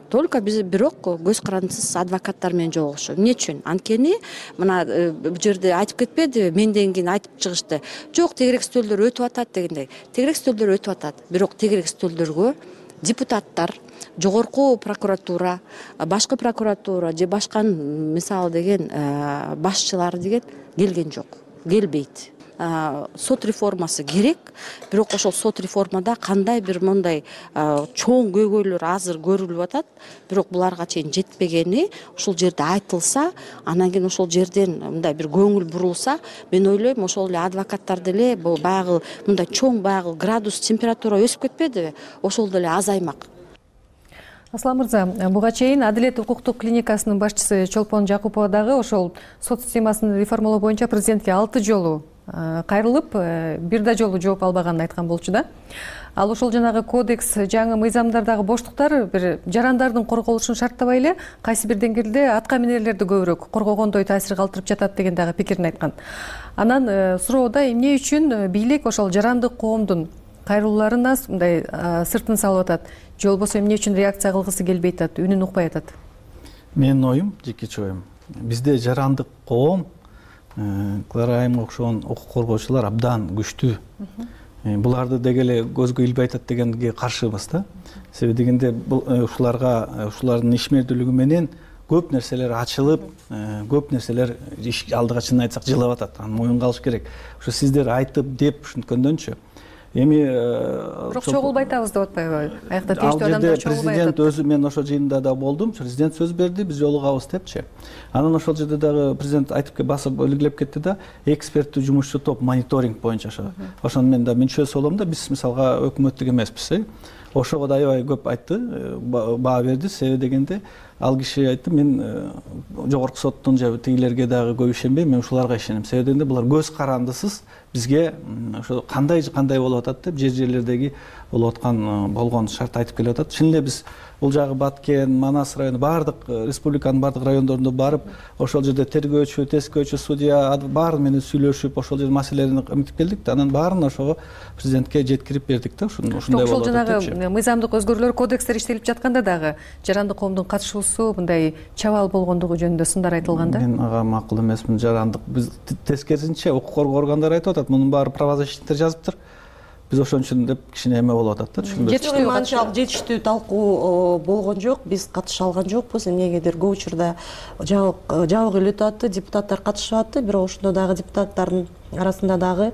только биз бирок көз карандысыз адвокаттар менен жолугушуу. Эмне үчүн? Анткени мына бул жерде айтып кетпеди, менден кийин айтып чыгышты. Жок, тегерек стөлдөр өтүп атат дегендей. Тегерек стөлдөр өтүп атат. Бирок тегерек стөлдөргө депутаттар, жогорку прокуратура, башкы прокуратура же башка мисалы деген башчылар деген келген жок, келбейт. Сот реформасы керек, бирок ошол сот реформада кандай бир мындай чоң көйгөйлөр азыр көрүлүп атат, бирок буларга чейин жетпегени ошол жерде айтылса, анан кийин ошол жерден мындай бир көңүл бурулса, мен ойлойм ошол эле адвокаттар деле бул баягы мындай чоң баягы градус температура өсүп кетпедиби, ошол деле азаймак. Аслан мырза, буга чейин Адилет укуктук клиникасынын башчысы Чолпон Жакупова дагы ошол сот системасын реформалоо боюнча президентке алты жолу кайрылып, бир да жолу жооп албаганын айткан болчу да. Ал ошол жанагы кодекс, жаңы мыйзамдардагы боштуктар бир жарандардын корголушун шарттабай эле кайсы бир деңгээлде атка минерлерди көбүрөөк коргогондой таасир калтырып жатат деген дагы пикирин айткан. Анан суроодо эмне үчүн бийлик ошол жарандык коомдун кайрылууларына мындай сыртын салып атат, же болбосо эмне үчүн реакция кылгысы келбей атат, үнүн укпай атат? Менин оюм, жеке оюм, бизде жарандык коом, Клара Айымга окшогон укук коргоочулар абдан күчтүү. Буларды деги эле көзгө илбей атат дегенге каршыбыз да. Себеби дегенде ушуларга, ушулардын ишмердүүлүгү менен көп нерселер ачылып, көп нерселер алдыга чынын айтсак жылап атат. Аны моюнга алыш керек. Ушу сиздер айтып деп ушинткөндөнчү, эми бирок чогулбай атабыз деп атпайбы? Аякта тийиштүү адамдар чогулбай атат. Президент өзү, мен ошол жыйында да болдум, президент сөз берди, биз жолугабыз депчи. Анан ошол жерде дагы президент айтып басып белгилеп кетти да, эксперттүү жумушчу топ мониторинг боюнча ошо. Ошону мен да мүчөсү болом да, биз мисалга өкмөттүк эмеспиз, э. Ошого да аябай көп айтты, баа берди, себеби дегенде ал киши айтты, мен жогорку соттун же тигилерге дагы көп ишенбейм, мен ушуларга ишенем. Себеби дегенде булар көз карандысыз бизге ошо кандай кандай болуп атат деп жер жерлердеги болуп аткан болгон шарт айтып келип атат. Чын эле биз бул жагы Баткен, Манас району, баардык республиканын баардык райондоруна барып, ошол жерде тергөөчү, тескөөчү, судья баары менен сүйлөшүп, ошол жерде маселелерди эмитип келдик да, анан баарын ошого президентке жеткирип бердик да, ушундай болуп атат. Ошол жанагы мыйзамдык өзгөрүүлөр, кодекстер иштелип жатканда дагы жарандык коомдун катышуусу мындай чабал болгондугу жөнүндө сындар айтылган да. Мен ага макул эмесмин. Жарандык биз тескерисинче укук коргоо органдары айтып атат, мунун баары правозащитниктер жазыптыр. Биз ошон үчүн деп кичине эме болуп атат да, түшүнбөйм. Анчалык жетиштүү талкуу болгон жок, биз катыша алган жокпуз. Эмнегедир көп учурда жабык эле өтүп атты, депутаттар катышып атты, бирок ошондо дагы депутаттардын арасында дагы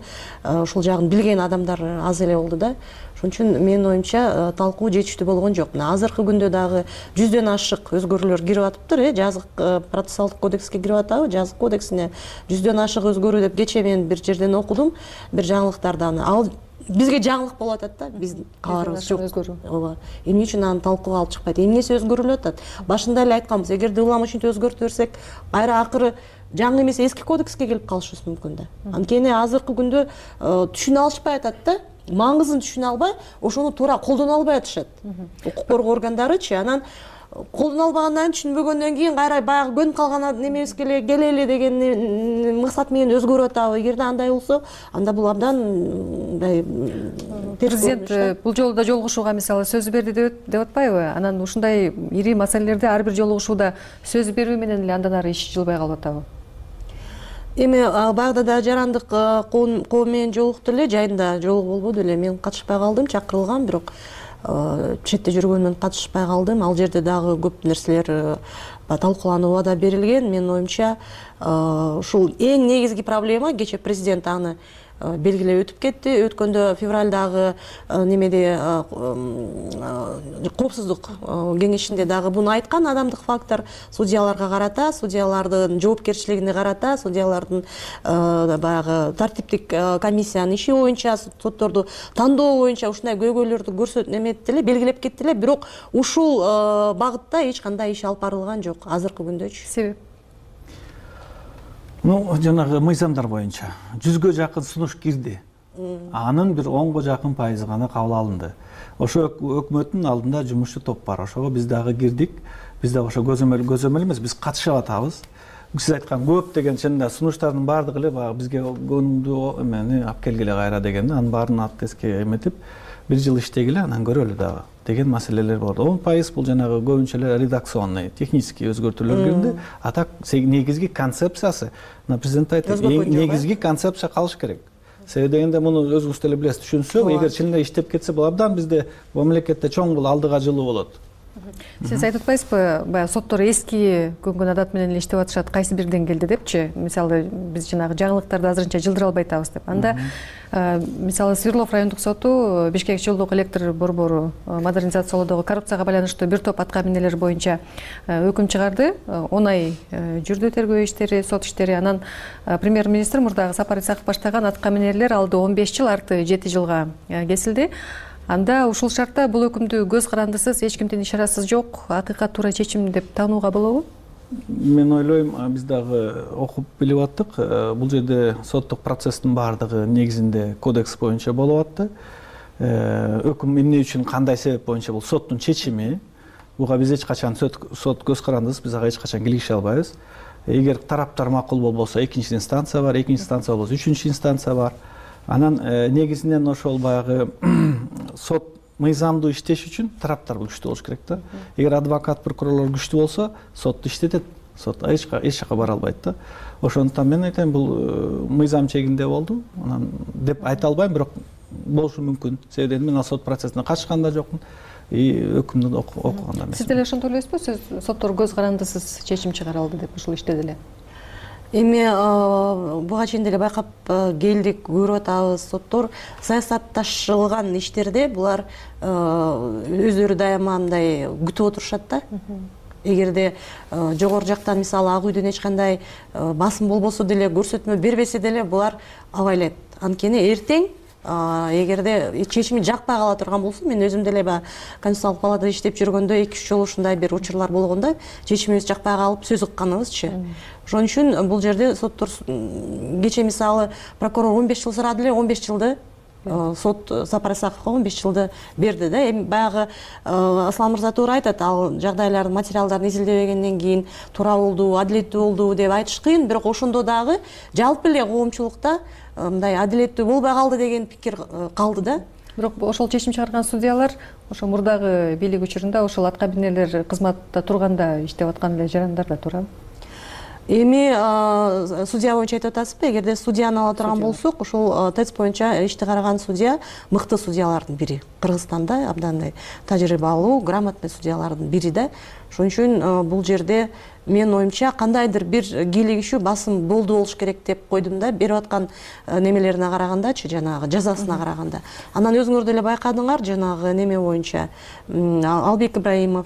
ушул жагын билген адамдар аз эле болду да. Ошон үчүн менин оюмча талкуу жетиштүү болгон жок. Мына азыркы күндө дагы жүздөн ашык өзгөрүүлөр кирип атыптыр, э, жазык процессуалдык кодекске кирип атабы, жазык кодексине жүздөн ашык өзгөрүү деп кечээ мен бир жерден окудум, бир жаңылыктардан. Ал бизге жаңылык болуп атат да, биздин кабарыбыз жок. Ооба. Эмне үчүн аны талкууга алып чыкпайт? Эмнеси өзгөрүлүп атат? Башында эле айтканбыз, эгерде улам ушинтип өзгөртүп берсек, кайра акыры жаңы эмес эски кодекске келип калышыбыз мүмкүн да. Анткени азыркы күндө түшүнө алышпай атат да. Маңызын түшүнө албай, ошону туура колдоно албай атышат. Укук коргоо органдарычы, анан колдоно албагандан түшүнбөгөндөн кийин кайра баягы көнүп калган немебизге эле келели деген максат менен өзгөрүп атабы. Эгерде андай болсо, анда бул абдан мындай президент бул жолу да жолугушууга мисалы сөз берди деп атпайбы? Анан ушундай ири маселелерде ар бир жолугушууда сөз берүү менен эле андан ары иш жылбай калып атабы? Эми баягыда да жарандык коом менен жолукту эле, жайында жолугуу болбоду эле. Мен катышпай калдым, чакырылгам, бирок четте жүргөнүмөн катышпай калдым. Ал жерде дагы көп нерселер талкууланууга убада берилген. Менин оюмча ушул эң негизги проблема, кечээ президент аны белгилеп өтүп кетти. Өткөндө февралдагы немеде коопсуздук кеңешинде дагы буну айткан, адамдык фактор судьяларга карата, судьялардын жоопкерчилигине карата, судьялардын баягы тартиптик комиссиянын иши боюнча, сотторду тандоо боюнча ушундай көйгөйлөрдү көрсөтүп эметти эле, белгилеп кетти эле, бирок ушул багытта эч кандай иш алып барылган жок азыркы күндөчү. Себеп? Ну, жанагы мыйзамдар боюнча жүзгө жакын сунуш кирди. Анын бир онго жакын пайызы гана кабыл алынды. Ошо өкмөттүн алдында жумушчу топ бар. Ошого биз дагы кирдик. Биз дагы ошо көзөмөл көзөмөл эмес, биз катышып атабыз. Сиз айткан көп деген чынында сунуштардын баардыгы эле баягы бизге көңүлдүү эмени алып келгиле кайра дегенде, анын баарын аттеске эметип, бир жыл иштегиле, анан көрөлү дагы деген маселелер болду. он пайыз бул жанагы көбүнчө эле редакционный, технический өзгөртүүлөр кирди. А так негизги концепциясы, президент айтты, негизги концепция калыш керек. Себеби дегенде муну өзүңүз деле билесиз, түшүнсөк, эгер чын эле иштеп кетсе, бул абдан бизде мамлекетте чоң бул алдыга жылуу болот. Сиз айтып атпайсызбы, баягы соттор эски көнгөн адат менен эле иштеп атышат, кайсы бир деңгээлде депчи? Мисалы, биз жанагы жаңылыктарды азырынча жылдыра албай атабыз деп. Анда мисалы Свердлов райондук соту Бишкек жолдук электр борбору модернизациялоодогу коррупцияга байланыштуу бир топ атка минелер боюнча өкүм чыгарды. он ай жүрдү тергөө иштери, сот иштери. Анан премьер-министр мурдагы Сапар Исаков баштаган атка минелер алды он беш жыл, арты жети жылга кесилди. Анда ушул шартта бул өкүмдү көз карандысыз, эч кимдин ишарасыз жок, акыйкат туура чечим деп таанууга болобу? Мен ойлойм, биз дагы окуп билип аттык. Бул жерде соттук процесстин баардыгы негизинде кодекс боюнча болуп атты. Өкүм эмне үчүн, кандай себеп боюнча бул соттун чечими. Буга биз эч качан сот көз карандысыз, биз ага эч качан кийлигише албайбыз. Эгер тараптар макул болбосо, экинчи инстанция бар, экинчи инстанция болбосо, үчүнчү инстанция бар. Анан негизинен ошол баягы сот мыйзамдуу иштеш үчүн тараптар күчтүү болуш керек да. Эгер адвокат, прокурорлор күчтүү болсо, сотту иштетет. Сот эч жака бара албайт да. Ошондуктан мен айтайм, бул мыйзам чегинде болду. Анан деп айта албайм, бирок болушу мүмкүн. Себеби мен ал сот процессине катышкан да жокмун. И өкүмдү окуган да эмесмин. Сиз деле ошентип ойлойсузбу? Сиз соттор көз карандысыз чечим чыгара алды деп ушул иште деле? эми буга чейин деле байкап келдик, көрүп атабыз, соттор саясатташылган иштерде булар өздөрү дайыма мындай күтүп отурушат да. Эгерде жогору жактан мисалы Ак үйдөн эч кандай басым болбосо деле, көрсөтмө бербесе деле булар абайлайт. Анткени эртең эгерде чечими жакпай кала турган болсо, мен өзүм деле баягы Конституциялык палатада иштеп жүргөндө эки үч жолу ушундай бир учурлар болгондо чечимибиз жакпай калып сөз укканыбызчы. Ошон үчүн бул жерде соттор кечээ мисалы прокурор он беш жыл сурады эле, он беш жылды сот Сапар Исаковго он беш жылды берди да. Эми баягы Аслан мырза туура айтат, ал жагдайлардын материалдарын изилдебегенден кийин туура болду, адилеттүү болду деп айтыш кыйын, бирок ошондо дагы жалпы эле коомчулукта мындай адилеттүү болбой калды деген пикир калды да. Бирок ошол чечим чыгарган судьялар ошо мурдагы бийлик учурунда ошол аткабинелер кызматта турганда иштеп аткан эле жарандарда туурабы? Эми судья боюнча айтып атасызбы? Эгерде судьяны ала турган болсок, ошол ТЭЦ боюнча ишти караган судья мыкты судьялардын бири. Кыргызстанда абдандай тажрыйбалуу, грамотный судьялардын бири да. Ошон үчүн бул жерде мен оюмча кандайдыр бир кийлигишүү басым болду болуш керек деп койдум да, берип аткан немелерине карагандачы, жанагы жазасына караганда. Анан өзүңөр деле байкадыңар, жанагы неме боюнча Албек Ибраимов,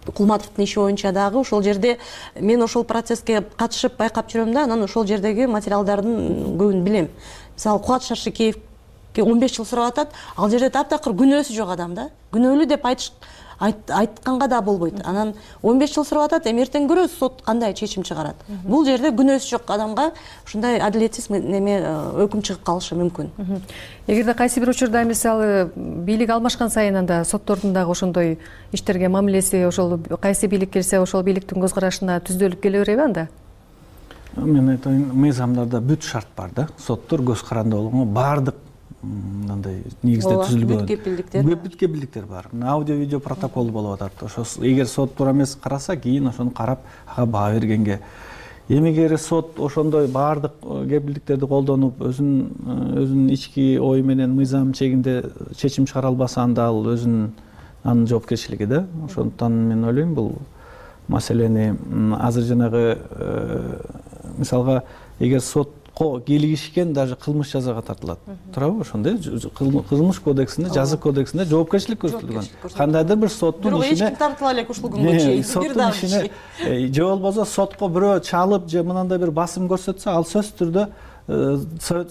Кулматовдун иши боюнча дагы ошол жерде мен ошол процесске катышып байкап жүрөм да, анан ошол жердеги материалдардын көбүн билем. Мисалы Кубат Шаршекеевге он беш жыл сурап атат, ал жерде таптакыр күнөөсү жок адам да. Күнөөлүү деп айтыш айтканга да болбойт. Анан он беш жыл сурап атат, эми эртең көрөбүз сот кандай чечим чыгарат. Бул жерде күнөөсү жок адамга ушундай адилетсиз неме өкүм чыгып калышы мүмкүн. Эгерде кайсы бир учурда мисалы бийлик алмашкан сайын анда соттордун дагы ошондой иштерге мамилеси, ошол кайсы бийлик келсе ошол бийликтин көз карашына түздөлүп келе береби анда? Мен айтайын, мыйзамдарда бүт шарт бар да. Соттор көз каранды болгонго баардык мындай негизде түзүлгөн бүт кепилдиктер бүт кепилдиктер бар. Аудио видео протокол болуп атат. Ошо эгер сот туура эмес караса, кийин ошону карап ага баа бергенге. Эми эгер сот ошондой баардык кепилдиктерди колдонуп, өзүнүн өзүнүн ички ою менен мыйзам чегинде чечим чыгара албаса, анда ал өзүнүн анын жоопкерчилиги да. Ошондуктан мен ойлойм, бул маселени азыр жанагы мисалга эгер сот кийлигишкен даже кылмыш жазага тартылат. Туурабы? Ошондой кылмыш кодексинде, жазык кодексинде жоопкерчилик көрсөтүлгөн. Кандайдыр бир соттун ишине эч ким тартыла элек ушул күнгө чейин. Соттун ишине же болбосо сотко бирөө чалып же мынандай бир басым көрсөтсө, ал сөзсүз түрдө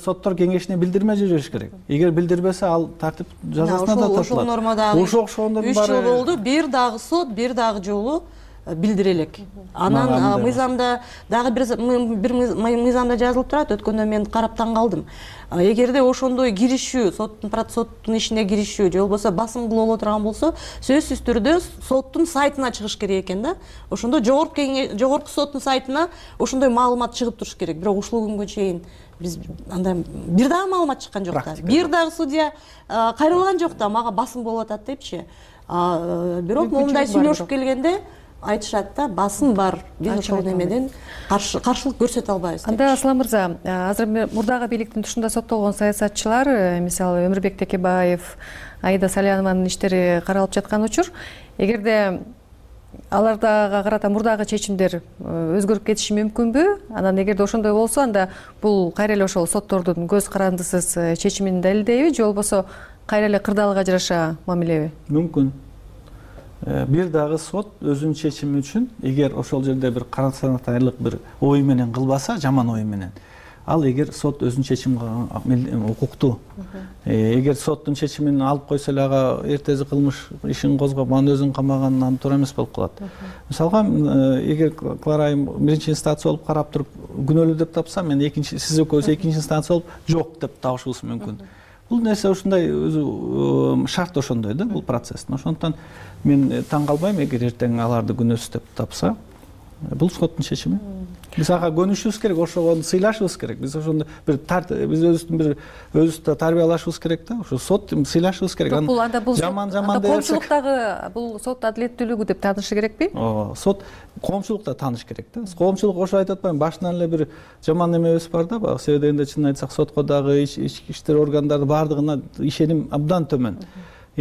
соттор кеңешине билдирме жибериш керек. Эгер билдирбесе, ал тартип жазасына да тартылат. Ошол нормадагы ошол ошондордун баары үч жыл болду, бир дагы сот, бир дагы жолу билдире элек. Анан мыйзамда дагы бир мыйзамда жазылып турат, өткөндө мен карап таң калдым. Эгерде ошондой киришүү, соттун соттун ишине киришүү же болбосо басым кылып турган болсо, сөзсүз түрдө соттун сайтына чыгыш керек экен да. Ошондо жогорку жогорку соттун сайтына ошондой маалымат чыгып туруш керек. Бирок ушул күнгө чейин биз андай бир дагы маалымат чыккан жок да. Бир дагы судья кайрылган жок да, мага басым болуп атат депчи. Бирок момундай сүйлөшүп келгенде айтышат да, басым бар, биз ошол немеден каршылык көрсөтө албайбыз. Анда Аслан мырза, азыр мурдагы бийликтин тушунда соттолгон саясатчылар, мисалы Өмүрбек Текебаев, Аида Салянованын иштери каралып жаткан учур, эгерде алардага карата мурдагы чечимдер өзгөрүп кетиши мүмкүнбү? Анан эгерде ошондой болсо, анда бул кайра эле ошол соттордун көз карандысыз чечимин далилдейби же болбосо кайра эле кырдаалга жараша мамилеби? Мүмкүн. Бир дагы сот өзүнүн чечими үчүн, эгер ошол жерде бир карасанатарлык бир ой менен кылбаса, жаман ой менен, ал эгер сот өзүнүн чечимин укуктуу. Эгер соттун чечимин алып койсо эле ага эртеси кылмыш ишин козгоп, анан өзүн камаган, анан туура эмес болуп калат. Мисалга, эгер Клара айым биринчи инстанция болуп карап туруп күнөөлүү деп тапса, мен экинчи сиз экөөбүз экинчи инстанция болуп жок деп табышыбыз мүмкүн. Бул нерсе ушундай өзү шарт ошондой да, бул процесстин. Ошондуктан мен таң калбайм, эгер эртең аларды күнөөсүз деп тапса, бул соттун чечими. Биз ага көнүшүбүз керек, ошого сыйлашыбыз керек. Биз ошондо бир биз өзүбүздүн бир өзүбүздү тарбиялашыбыз керек да. Ошо сот сыйлашыбыз керек. Бул анда бул жаман жаман деп коомчулуктагы бул сот адилеттүүлүгү деп таанышы керекпи? Ооба, сот коомчулукта тааныш керек да. Коомчулук ошо айтып атпайбы, башынан эле бир жаман эмебиз бар да, баягы себебинде чынын айтсак, сотко дагы ички иштер органдары баардыгына ишеним абдан төмөн.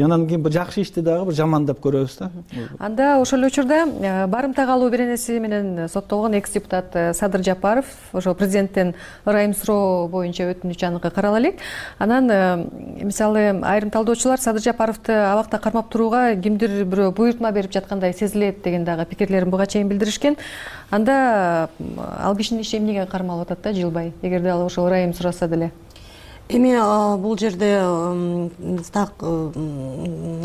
анан кийин жакшы ишти дагы бир жамандап көрөбүз да. Анда ошол эле учурда барымтага алуу беренеси менен соттолгон экс депутат Садыр Жапаров ошо президенттен ырайым суроо боюнча өтүнүч аныкы карала элек. Анан мисалы айрым талдоочулар Садыр Жапаровду абакта кармап турууга кимдир бирөө буйртма берип жаткандай сезилет деген дагы пикирлерин буга чейин билдиришкен. Анда ал кишинин иши эмнеге кармалып атат да жылбай, эгерде ал ошол ырайым сураса деле? Эми бул жерде так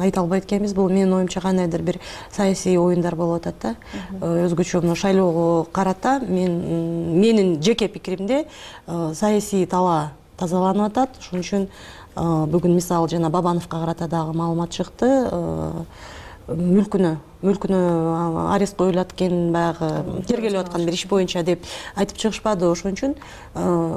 айта албайт экенбиз. Бул менин оюмча кандайдыр бир саясий оюндар болуп атат да. Өзгөчө мына шайлоого карата мен менин жеке пикиримде саясий талаа тазаланып атат. Ошон үчүн бүгүн мисалы жана Бабановго карата дагы маалымат чыкты. Мүлкүнө мүлкүнө арест коюлат экен, баягы тергелип аткан бир иш боюнча деп айтып чыгышпады. Ошон үчүн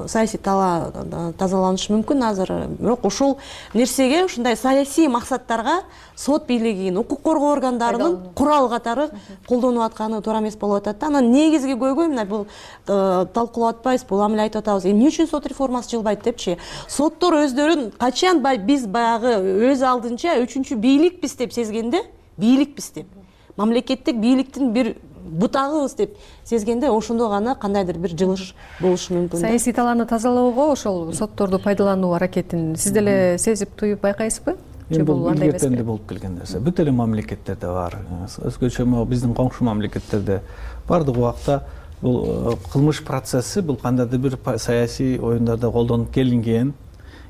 саясий талаа тазаланышы мүмкүн азыр. Бирок ошол нерсеге ушундай саясий максаттарга сот бийлигинин, укук коргоо органдарынын курал катары колдонуп атканы туура эмес болуп атат да. Анан негизги көйгөй мына бул талкуулап атпайбыз, бул ам эле айтып атабыз. Эмне үчүн сот реформасы жылбайт депчи? Соттор өздөрүн качан биз баягы өз алдынча үчүнчү бийликпиз деп сезгенде, бийликпиз деп, мамлекеттик бийликтин бир бутагыбыз деп сезгенде, ошондо гана кандайдыр бир жылыш болушу мүмкүн. Саясий талааны тазалоого ошол сотторду пайдалануу аракетин сиз деле сезип туюп байкайсызбы? Бул илгертен эле болуп келген нерсе. Бүт эле мамлекеттерде бар. Өзгөчө биздин коңшу мамлекеттерде бардык убакта бул кылмыш процесси бул кандайдыр бир саясий оюндарда колдонуп келинген,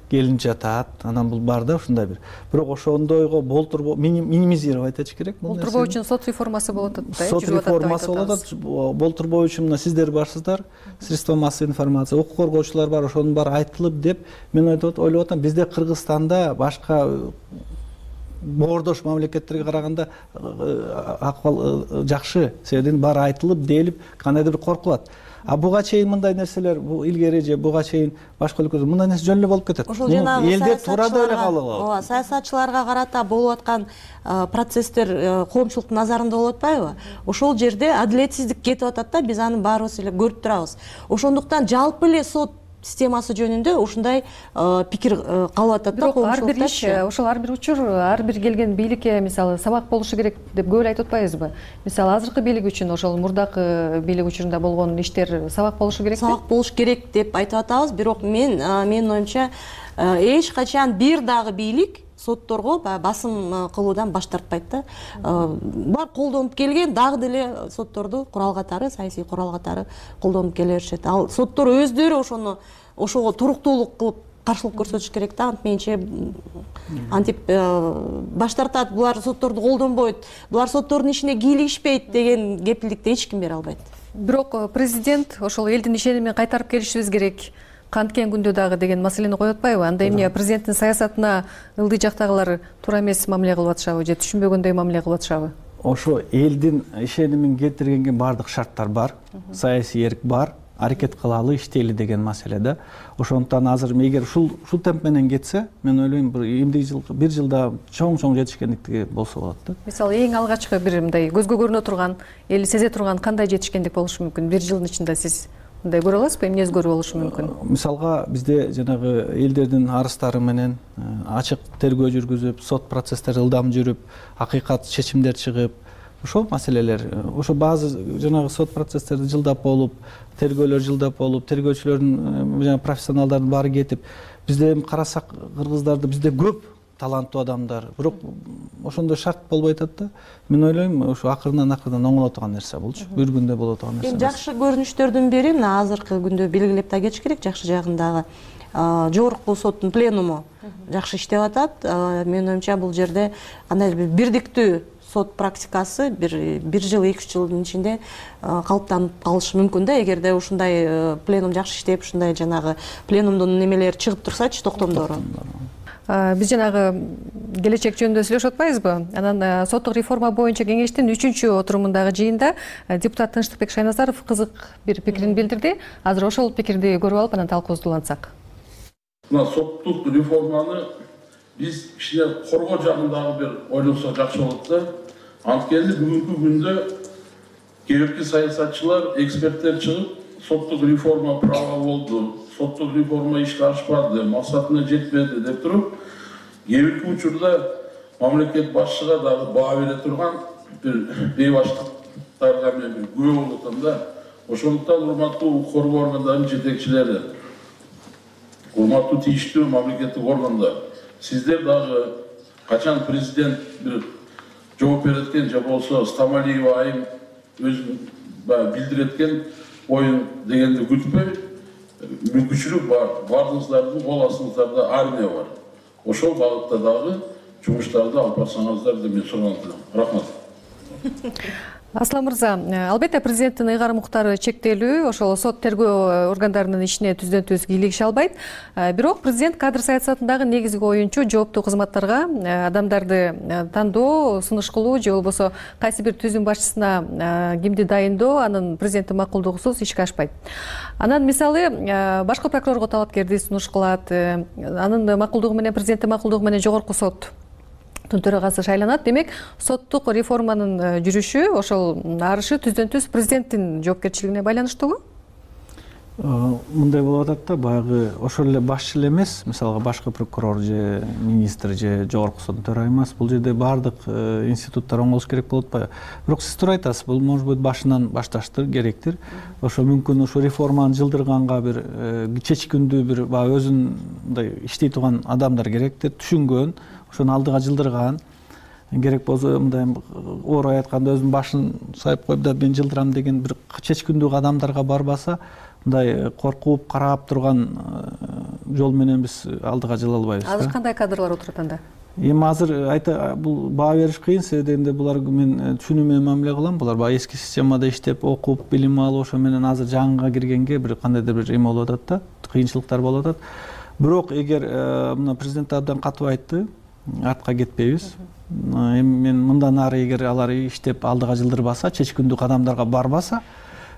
келин жатат. Анан бул бар да ушундай бир. Бирок ошондойго болтурбоо минимизировать этиш керек бул нерсени. Болтурбоо үчүн сот реформасы болот атат да. Сот реформасы болот атат. Болтурбоо үчүн мына сиздер барсыздар, средства массовой информация, укук коргоочулар бар, ошонун баары айтылып деп мен ойлоп атам, бизде Кыргызстанда башка боордош мамлекеттерге караганда акыбал жакшы, себебин баары айтылып, делип, кандайдыр бир коркулат. А буга чейин мындай нерселер, бул илгери же буга чейин башка өлкөдө мындай нерсе жөн эле болуп кетет. Ошол жанагы элде туура деле калып. Ооба, саясатчыларга карата болуп аткан процесстер коомчулуктун назарында болуп атпайбы? Ошол жерде адилетсиздик кетип атат да, биз аны баарыбыз эле көрүп турабыз. Ошондуктан жалпы эле сот системасы жөнүндө ушундай пикир калып атат да. Бирок ар бир иш, ошол ар бир учур, ар бир келген бийликке мисалы сабак болушу керек деп көп эле айтып атпайбызбы? Мисалы азыркы бийлик үчүн ошол мурдакы бийлик учурунда болгон иштер сабак болушу керекпи? Сабак болуш керек деп айтып атабыз, бирок мен менин оюмча эч качан бир дагы бийлик сотторго басым кылуудан баш тартпайт да. Бар колдонуп келген дагы деле сотторду курал катары, саясий курал катары колдонуп келе беришет. Ал соттор өздөрү ошону ошого туруктуулук кылып каршылык көрсөтүш керек да. Антменче антип баш тартат, булар сотторду колдонбойт, булар соттордун ишине кийлигишпейт деген кепилдикти эч ким бере албайт. Бирок президент ошол элдин ишенимин кайтарып келишибиз керек, канткен күндө дагы деген маселени коюп атпайбы? Анда эмне президенттин саясатына ылдый жактагылар туура эмес мамиле кылып атышабы же түшүнбөгөндөй мамиле кылып атышабы? Ошо элдин ишенимин кетиргенге бардык шарттар бар, саясий эрк бар, аракет кылалы, иштейли деген маселе да. Ошондуктан азыр эгер ушул ушул темп менен кетсе, мен ойлойм бир эмдиги жыл, бир жылда чоң-чоң жетишкендик болсо болот да. Мисалы эң алгачкы бир мындай көзгө көрүнө турган, эл сезе турган кандай жетишкендик болушу мүмкүн? Бир жылдын ичинде сиз мындай көрө аласызбы? Эмне өзгөрүү болушу мүмкүн? Мисалга бизде жанагы элдердин арыздары менен ачык тергөө жүргүзүп, сот процесстери ылдам жүрүп, акыйкат чечимдер чыгып, ошол маселелер, ошо баазы жанагы сот процесстерди жылдап болуп, тергөөлөр жылдап болуп, тергөөчүлөрдүн жана профессионалдардын баары кетип, бизде эми карасак кыргыздарды бизде көп таланттуу адамдар, бирок ошондой шарт болбой атат да. Мен ойлойм, ошо акырынан акырынан оңоло турган нерсе болчу. Бир күндө боло турган нерсе. Эми жакшы көрүнүштөрдүн бири мына азыркы күндө белгилеп да кетиш керек, жакшы жагындагы жогорку соттун пленуму жакшы иштеп атат. Менин оюмча бул жерде кандайдыр бир бирдиктүү сот практикасы бир бир жыл, эки үч жылдын ичинде калыптанып калышы мүмкүн да, эгерде ушундай пленум жакшы иштеп, ушундай жанагы пленумдун немелери чыгып турсачы, токтомдору. Биз жанагы келечек жөнүндө сүйлөшүп атпайбызбы? Анан соттук реформа боюнча кеңештин үчүнчү отурумундагы жыйында депутат Тынчтыкбек Шайназаров кызык бир пикирин билдирди. Азыр ошол пикирди көрүп алып, анан талкуубузду улантсак. Мына соттук реформаны биз кичине коргоо жагындагы бир ойлонсок жакшы болот да. Анткени бүгүнкү күндө кээбирки саясатчылар, эксперттер чыгып, соттук реформа права болду, соттук реформа ишке ашпады, максатына жетпеди деп туруп, кээ бирки учурда мамлекет башчыга дагы баа бере турган бир бейбаштыктарга мен бир күбө болуп атам да. Ошондуктан урматтуу укук коргоо органдарынын жетекчилери, урматтуу тийиштүү мамлекеттик органдар, сиздер дагы качан президент бир жооп береткен же болсо Стамалиева айым өзүн баягы билдиреткен оюн дегенди күтпөй, мүмкүнчүлүк бар, бардыгыңыздардын кол астыңыздарда армия бар. Ошол багытта дагы жумуштарды алып барсаңыздар деп мен сурантам. Рахмат. Аслан мырза, албетте президенттин ыйгарым укуктары чектелүү, ошол сот тергөө органдарынын ишине түздөн түз кийлигише албайт. Бирок президент кадр саясатындагы негизги оюнчу жооптуу кызматтарга адамдарды тандоо, сунуш кылуу же болбосо кайсы бир түзүм башчысына кимди дайындоо анын президенттин макулдугусуз ишке ашпайт. Анан мисалы башкы прокурорго талапкерди сунуш кылат, анын макулдугу менен президенттин макулдугу менен жогорку сот төрагасы шайланат. Демек, соттук реформанын жүрүшү, ошол арышы түздөн түз президенттин жоопкерчилигине байланыштуубу? Мындай болуп атат да, баягы ошол эле башчы эле эмес, мисалга башкы прокурор же министр же жогорку соттун төрайымы эмес, бул жерде баардык институттар оңолуш керек болуп атпайбы? Бирок сиз туура айтасыз, бул может быть башынан башташтыр, керектир. Ошо мүмкүн ошо реформаны жылдырганга бир чечкиндүү бир баягы өзүн мындай иштей турган адамдар керектир, түшүнгөн, ошону алдыга жылдырган. Керек болсо мындай оор айтканда өзүнүн башын сайып коюп да мен жылдырам деген бир чечкиндүү адамдарга барбаса, мындай коркуп карап турган жол менен биз алдыга жыла албайбыз. Азыр кандай кадрлар отурат анда? Эми азыр айта бул баа бериш кыйын, себеби дегенде булар мен түшүнүү менен мамиле кылам. Булар баягы эски системада иштеп, окуп, билим алып, ошо менен азыр жаңыга киргенге бир кандайдыр бир эме болуп атат да, кыйынчылыктар болуп атат. Бирок эгер мына президент абдан катуу айтты, артка кетпейбиз. Эми мен мындан ары эгер алар иштеп алдыга жылдырбаса, чечкиндүү кадамдарга барбаса,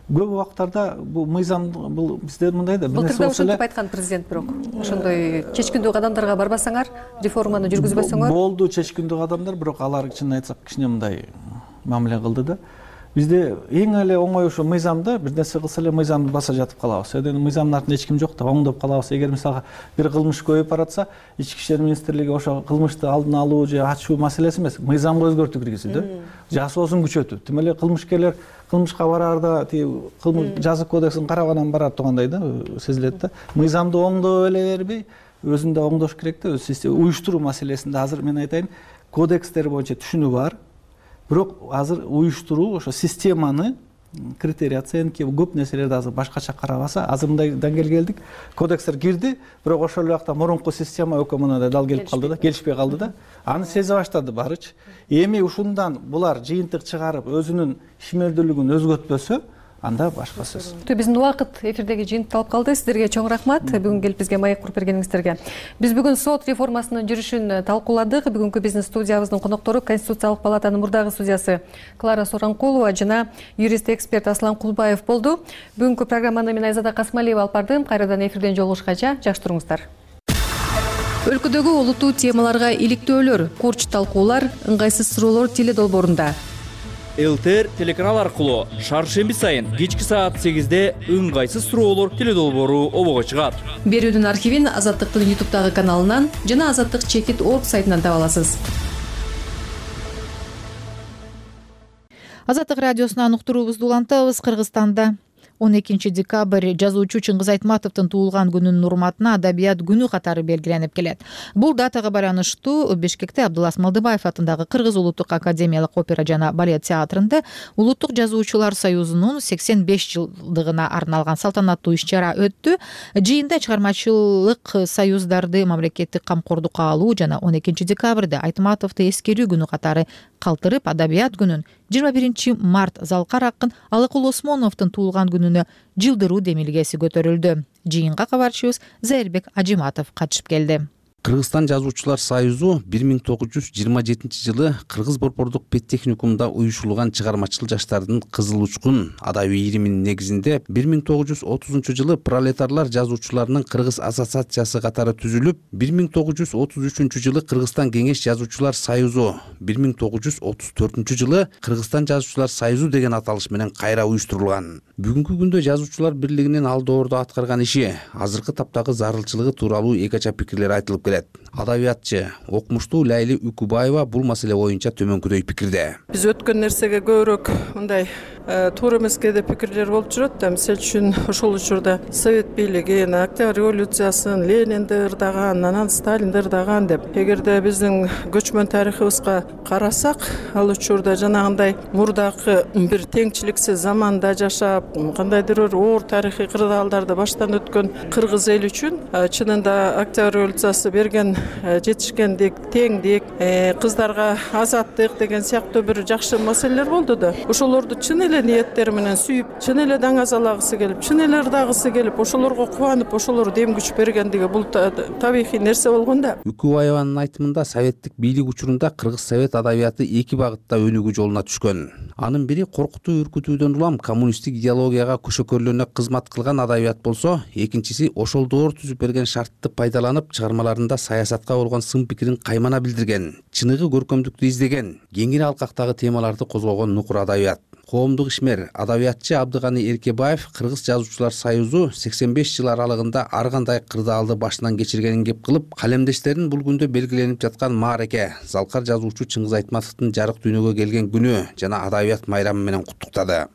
көп убактарда бул мыйзам бул бизде мындай да. Былтыр да ошентип айткан президент, бирок ошондой чечкиндүү кадамдарга барбасаңар, реформаны жүргүзбөсөңөр. Болду чечкиндүү кадамдар, бирок алар чынын айтсак кичине мындай мамиле кылды да. Бизде эң эле оңой ошо мыйзамда бир нерсе кылса эле мыйзамды баса жатып калабыз. Себеби мыйзамдын артында эч ким жок да, оңдоп калабыз. Эгер мисалга бир кылмыш көбөйүп баратса, Ички иштер министрлиги ошо кылмышты алдын алуу же ачуу маселеси эмес, мыйзамга өзгөртүү киргизүү да. Жасоосун күчөтүү. Тим эле кылмышкерлер кылмышка бараарда тиги жазык кодексин карабанан барат тургандай да сезилет да. Мыйзамды оңдоп эле бербей, өзүн да оңдош керек да, өз уюштуруу маселесинде азыр мен айтайын, кодекстер боюнча түшүнүү бар. Бирок азыр уюштуруу ошо системаны, критерий оценки, көп нерселерди азыр башкача карабаса, азыр мындай деңгээлге келдик. Кодекстер кирди, бирок ошол убакта мурунку система өкмөтүнө дал келип калды да, келишпей калды да. Аны сезе баштады барычы. Эми ушундан булар жыйынтык чыгарып, өзүнүн ишмердүүлүгүн өзгөртпөсө, анда башка сөз. Биздин убакыт эфирдеги жыйынтыкталып калды. Сиздерге чоң рахмат бүгүн келип бизге маек куруп бергениңиздерге. Биз бүгүн сот реформасынын жүрүшүн талкууладык. Бүгүнкү биздин студиябыздын коноктору Конституциялык палатанын мурдагы судьясы Клара Соронкулова жана юрист эксперт Аслан Кулбаев болду. Бүгүнкү программаны мен Айзада Касмалиева алып бардым. Кайрадан эфирден жолугушкача жакшы туруңуздар. Өлкөдөгү олуттуу темаларга иликтөөлөр, курч талкуулар, ыңгайсыз суроолор теле долбоорунда. ЛТР телеканал аркылуу шаршемби сайын кечки саат сегизде ыңгайсыз суроолор теле долбоору обого чыгат. Берүүнүн архивин Азаттыктын ютубтагы каналынан жана азаттык чекит точка орг сайтынан таба аласыз. Азаттык радиосунан уктуруубузду улантабыз. Кыргызстанда он экинчи декабрь жазуучу Чыңгыз Айтматовдун туулган күнүнүн урматына Адабият күнү катары белгиленип келет. Бул датага байланыштуу Бишкекте Абдулас Малдыбаев атындагы Кыргыз улуттук академиялык опера жана балет театрында Улуттук жазуучулар союзунун сексен беш жылдыгына арналган салтанаттуу иш-чара өттү. Жыйында чыгармачылык союздарды мамлекеттик камкордукка алуу жана он экинчи декабрда Айтматовду эскерүү күнү катары калтырып, Адабият күнүн жыйырма биринчи март Залкар акын Алыкул Осмоновдун туулган күнүнө жылдыруу демилгеси көтөрүлдү. Жыйынга кабарчыбыз Зайырбек Ажиматов катышып келди. Кыргызстан жазуучулар союзу бир миң тогуз жүз жыйырма жетинчи жылы Кыргыз Борбордук педтехникумда уюшулган чыгармачыл жаштардын Кызыл учкун адабий ириминин негизинде бир миң тогуз жүз отузунчу жылы пролетарлар жазуучуларынын Кыргыз ассоциациясы катары түзүлүп, бир миң тогуз жүз отуз үчүнчү жылы Кыргызстан кеңеш жазуучулар союзу, бир миң тогуз жүз отуз төртүнчү жылы Кыргызстан жазуучулар союзу деген аталыш менен кайра уюштурулган. Бүгүнкү күндө жазуучулар бирлигинин алдоордо аткарган иши, азыркы таптагы зарылчылыгы тууралуу эки ача пикирлер айтылып келет. келет. Адабиятчы, окумуштуу Лайли Үкүбаева бул маселе боюнча төмөнкүдөй пикирде. Биз өткөн нерсеге көбүрөөк мындай туура эмеске да пикирлер болуп жүрөт да. Мисалы үчүн ошол учурда совет бийлигин, Октябрь революциясын Ленинди ырдаган, анан Сталинди ырдаган деп. Эгерде биздин көчмөн тарыхыбызга карасак, ал учурда жанагындай мурдакы бир теңчиликсиз заманда жашап, кандайдыр бир оор тарыхый кырдаалдарды баштан өткөн кыргыз эли үчүн чынында Октябрь революциясы берген жетишкендик, теңдик, кыздарга азаттык деген сыяктуу бир жакшы маселелер болду да. Ошолорду чын эле ниеттери менен сүйүп, чын эле даңазалагысы келип, чын эле ырдагысы келип, ошолорго кубанып, ошолор дем күч бергендиги бул табигый нерсе болгон да. Үкүбаеванын айтымында советтик бийлик учурунда кыргыз совет адабияты эки багытта өнүгүү жолуна түшкөн. Анын бири коркутуу, үркүтүүдөн улам коммунисттик идеологияга көшөкөрлөнө кызмат кылган адабият болсо, экинчиси ошол доор түзүп берген шартты пайдаланып, чыгармаларында саясатка болгон сын пикирин каймана билдирген, чыныгы көркөмдүктү издеген, кеңири алкактагы темаларды козгогон нукур адабият. Коомдук ишмер, адабиятчы Абдыганы Эркебаев Кыргыз жазуучулар союзу сексен беш жыл аралыгында ар кандай кырдаалды башынан кечиргенин кеп кылып, калемдештерин бул күндө белгиленип жаткан маареке, Залкар жазуучу Чыңгыз Айтматовдун жарык дүйнөгө келген күнү жана адабият майрамы менен куттуктады.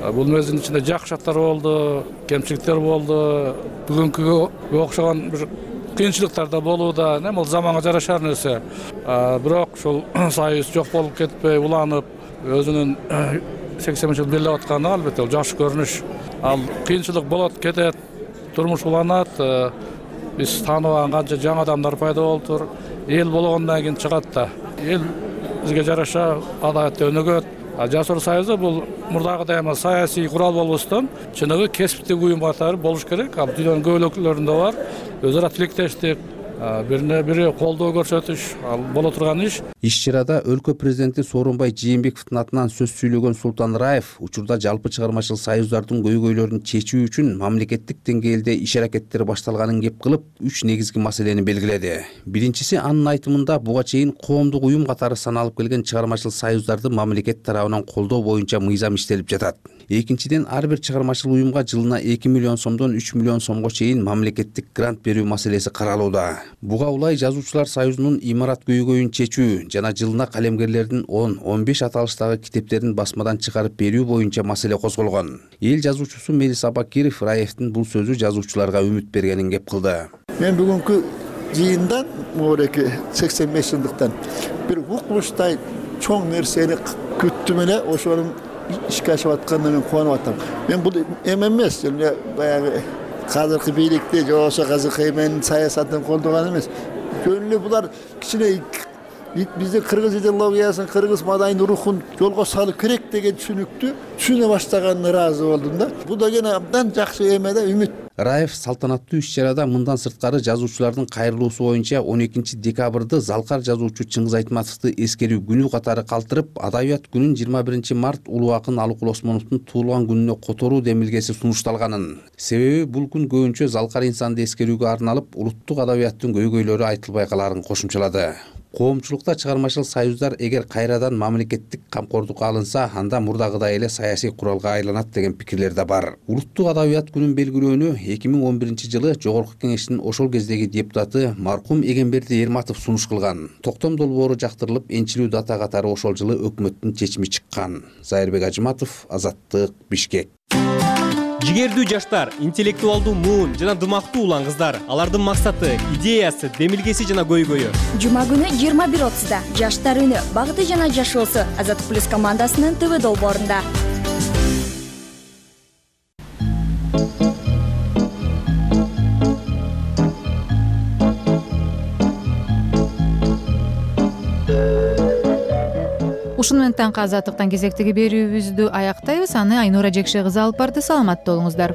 Бул мезгилдин ичинде жакшы шарттар болду, кемчиликтер болду, бүгүнкүгө окшогон бир кыйынчылыктар да болууда, эми бул заманга жарашар нерсе. Бирок ушул союз жок болуп кетпей, уланып, өзүнүн сексен жыл бирлеп атканы албетте бул жакшы көрүнүш. Ал кыйынчылык болот, кетет, турмуш уланат, биз тааныбаган канча жаңы адамдар пайда болуптур. Эл болгондон кийин чыгат да. Эл бизге жараша адабиятта өнүгөт. Жазуучулар союзу бул мурдагыдай эме саясий курал болбостон, чыныгы кесиптик уюм катары болуш керек. Ал дүйнөнүн көп өлкөлөрүндө бар. Өз ара тилектештик, бирине бири колдоо көрсөтүш, ал боло турган иш. Иш-чарада өлкө президенти Сооронбай Жээнбековдун атынан сөз сүйлөгөн Султан Раев учурда жалпы чыгармачыл союздардын көйгөйлөрүн чечүү үчүн мамлекеттик деңгээлде иш-аракеттер башталганын кеп кылып, үч негизги маселени белгиледи. Биринчиси, анын айтымында буга чейин коомдук уюм катары саналып келген чыгармачыл союздарды мамлекет тарабынан колдоо боюнча мыйзам иштелип жатат. Экинчиден, ар бир чыгармачыл уюмга жылына эки миллион сомдон үч миллион сомго чейин мамлекеттик грант берүү маселеси каралууда. Буга улай жазуучулар союзунун имарат көйгөйүн чечүү жана жылына калемгерлердин он он беш аталыштагы китептерин басмадан чыгарып берүү боюнча маселе козголгон. Эл жазуучусу Мелис Абакиров Раевдин бул сөзү жазуучуларга үмүт бергенин кеп кылды. Мен бүгүнкү жыйындан мореки сексен беш жылдыктан бир укмуштай чоң нерсени күттүм эле, ошонун ишке ашып атканына мен кубанып атам. Мен бул эме эмес, эле баягы казыркы бийликти же болбосо казыркы эменин саясатын колдогон эмес. Жөн эле булар кичине биздин кыргыз идеологиясын, кыргыз маданийдин рухун жолго салып керек деген түшүнүктү түшүнө баштаганына ыраазы болдум да. Бул деген абдан жакшы эме да, үмүт. Раев салтанаттуу иш-чарада мындан сырткары жазуучулардын кайрылуусу боюнча он экинчи декабрды Залкар жазуучу Чыңгыз Айтматовду эскерүү күнү катары калтырып, адабият күнүн жыйырма биринчи март улуу акын Алыкул Осмоновдун туулган күнүнө которуу демилгеси сунушталганын. Себеби бул күн көбүнчө Залкар инсанды эскерүүгө арналып, улуттук адабияттын көйгөйлөрү айтылбай каларын кошумчалады. Коомчулукта чыгармачыл союздар эгер кайрадан мамлекеттик камкордукка алынса, анда мурдагыдай эле саясий куралга айланат деген пикирлер да бар. Улуттук адабият күнүн белгилөөнү эки миң он биринчи жылы Жогорку Кеңештин ошол кездеги депутаты маркум Эгемберди Эрматов сунуш кылган. Токтом долбоору жактырылып, энчилүү дата катары ошол жылы өкмөттүн чечими чыккан. Зайырбек Ажыматов, Азаттык, Бишкек. Жигердүү жаштар, интеллектуалдуу муун жана дымактуу улан кыздар. Алардын максаты, идеясы, демилгеси жана көйгөйү. Жума күнү жыйырма бир отузда Жаштар үнү, багыты жана жашоосу Азаттык плюс командасынын ТВ долбоорунда. Ушуну менен таңкы азаттыктан кезектеги берүүбүздү аяктайбыз. Аны Айнура Жекше кызы алып барды. Саламатта болуңуздар.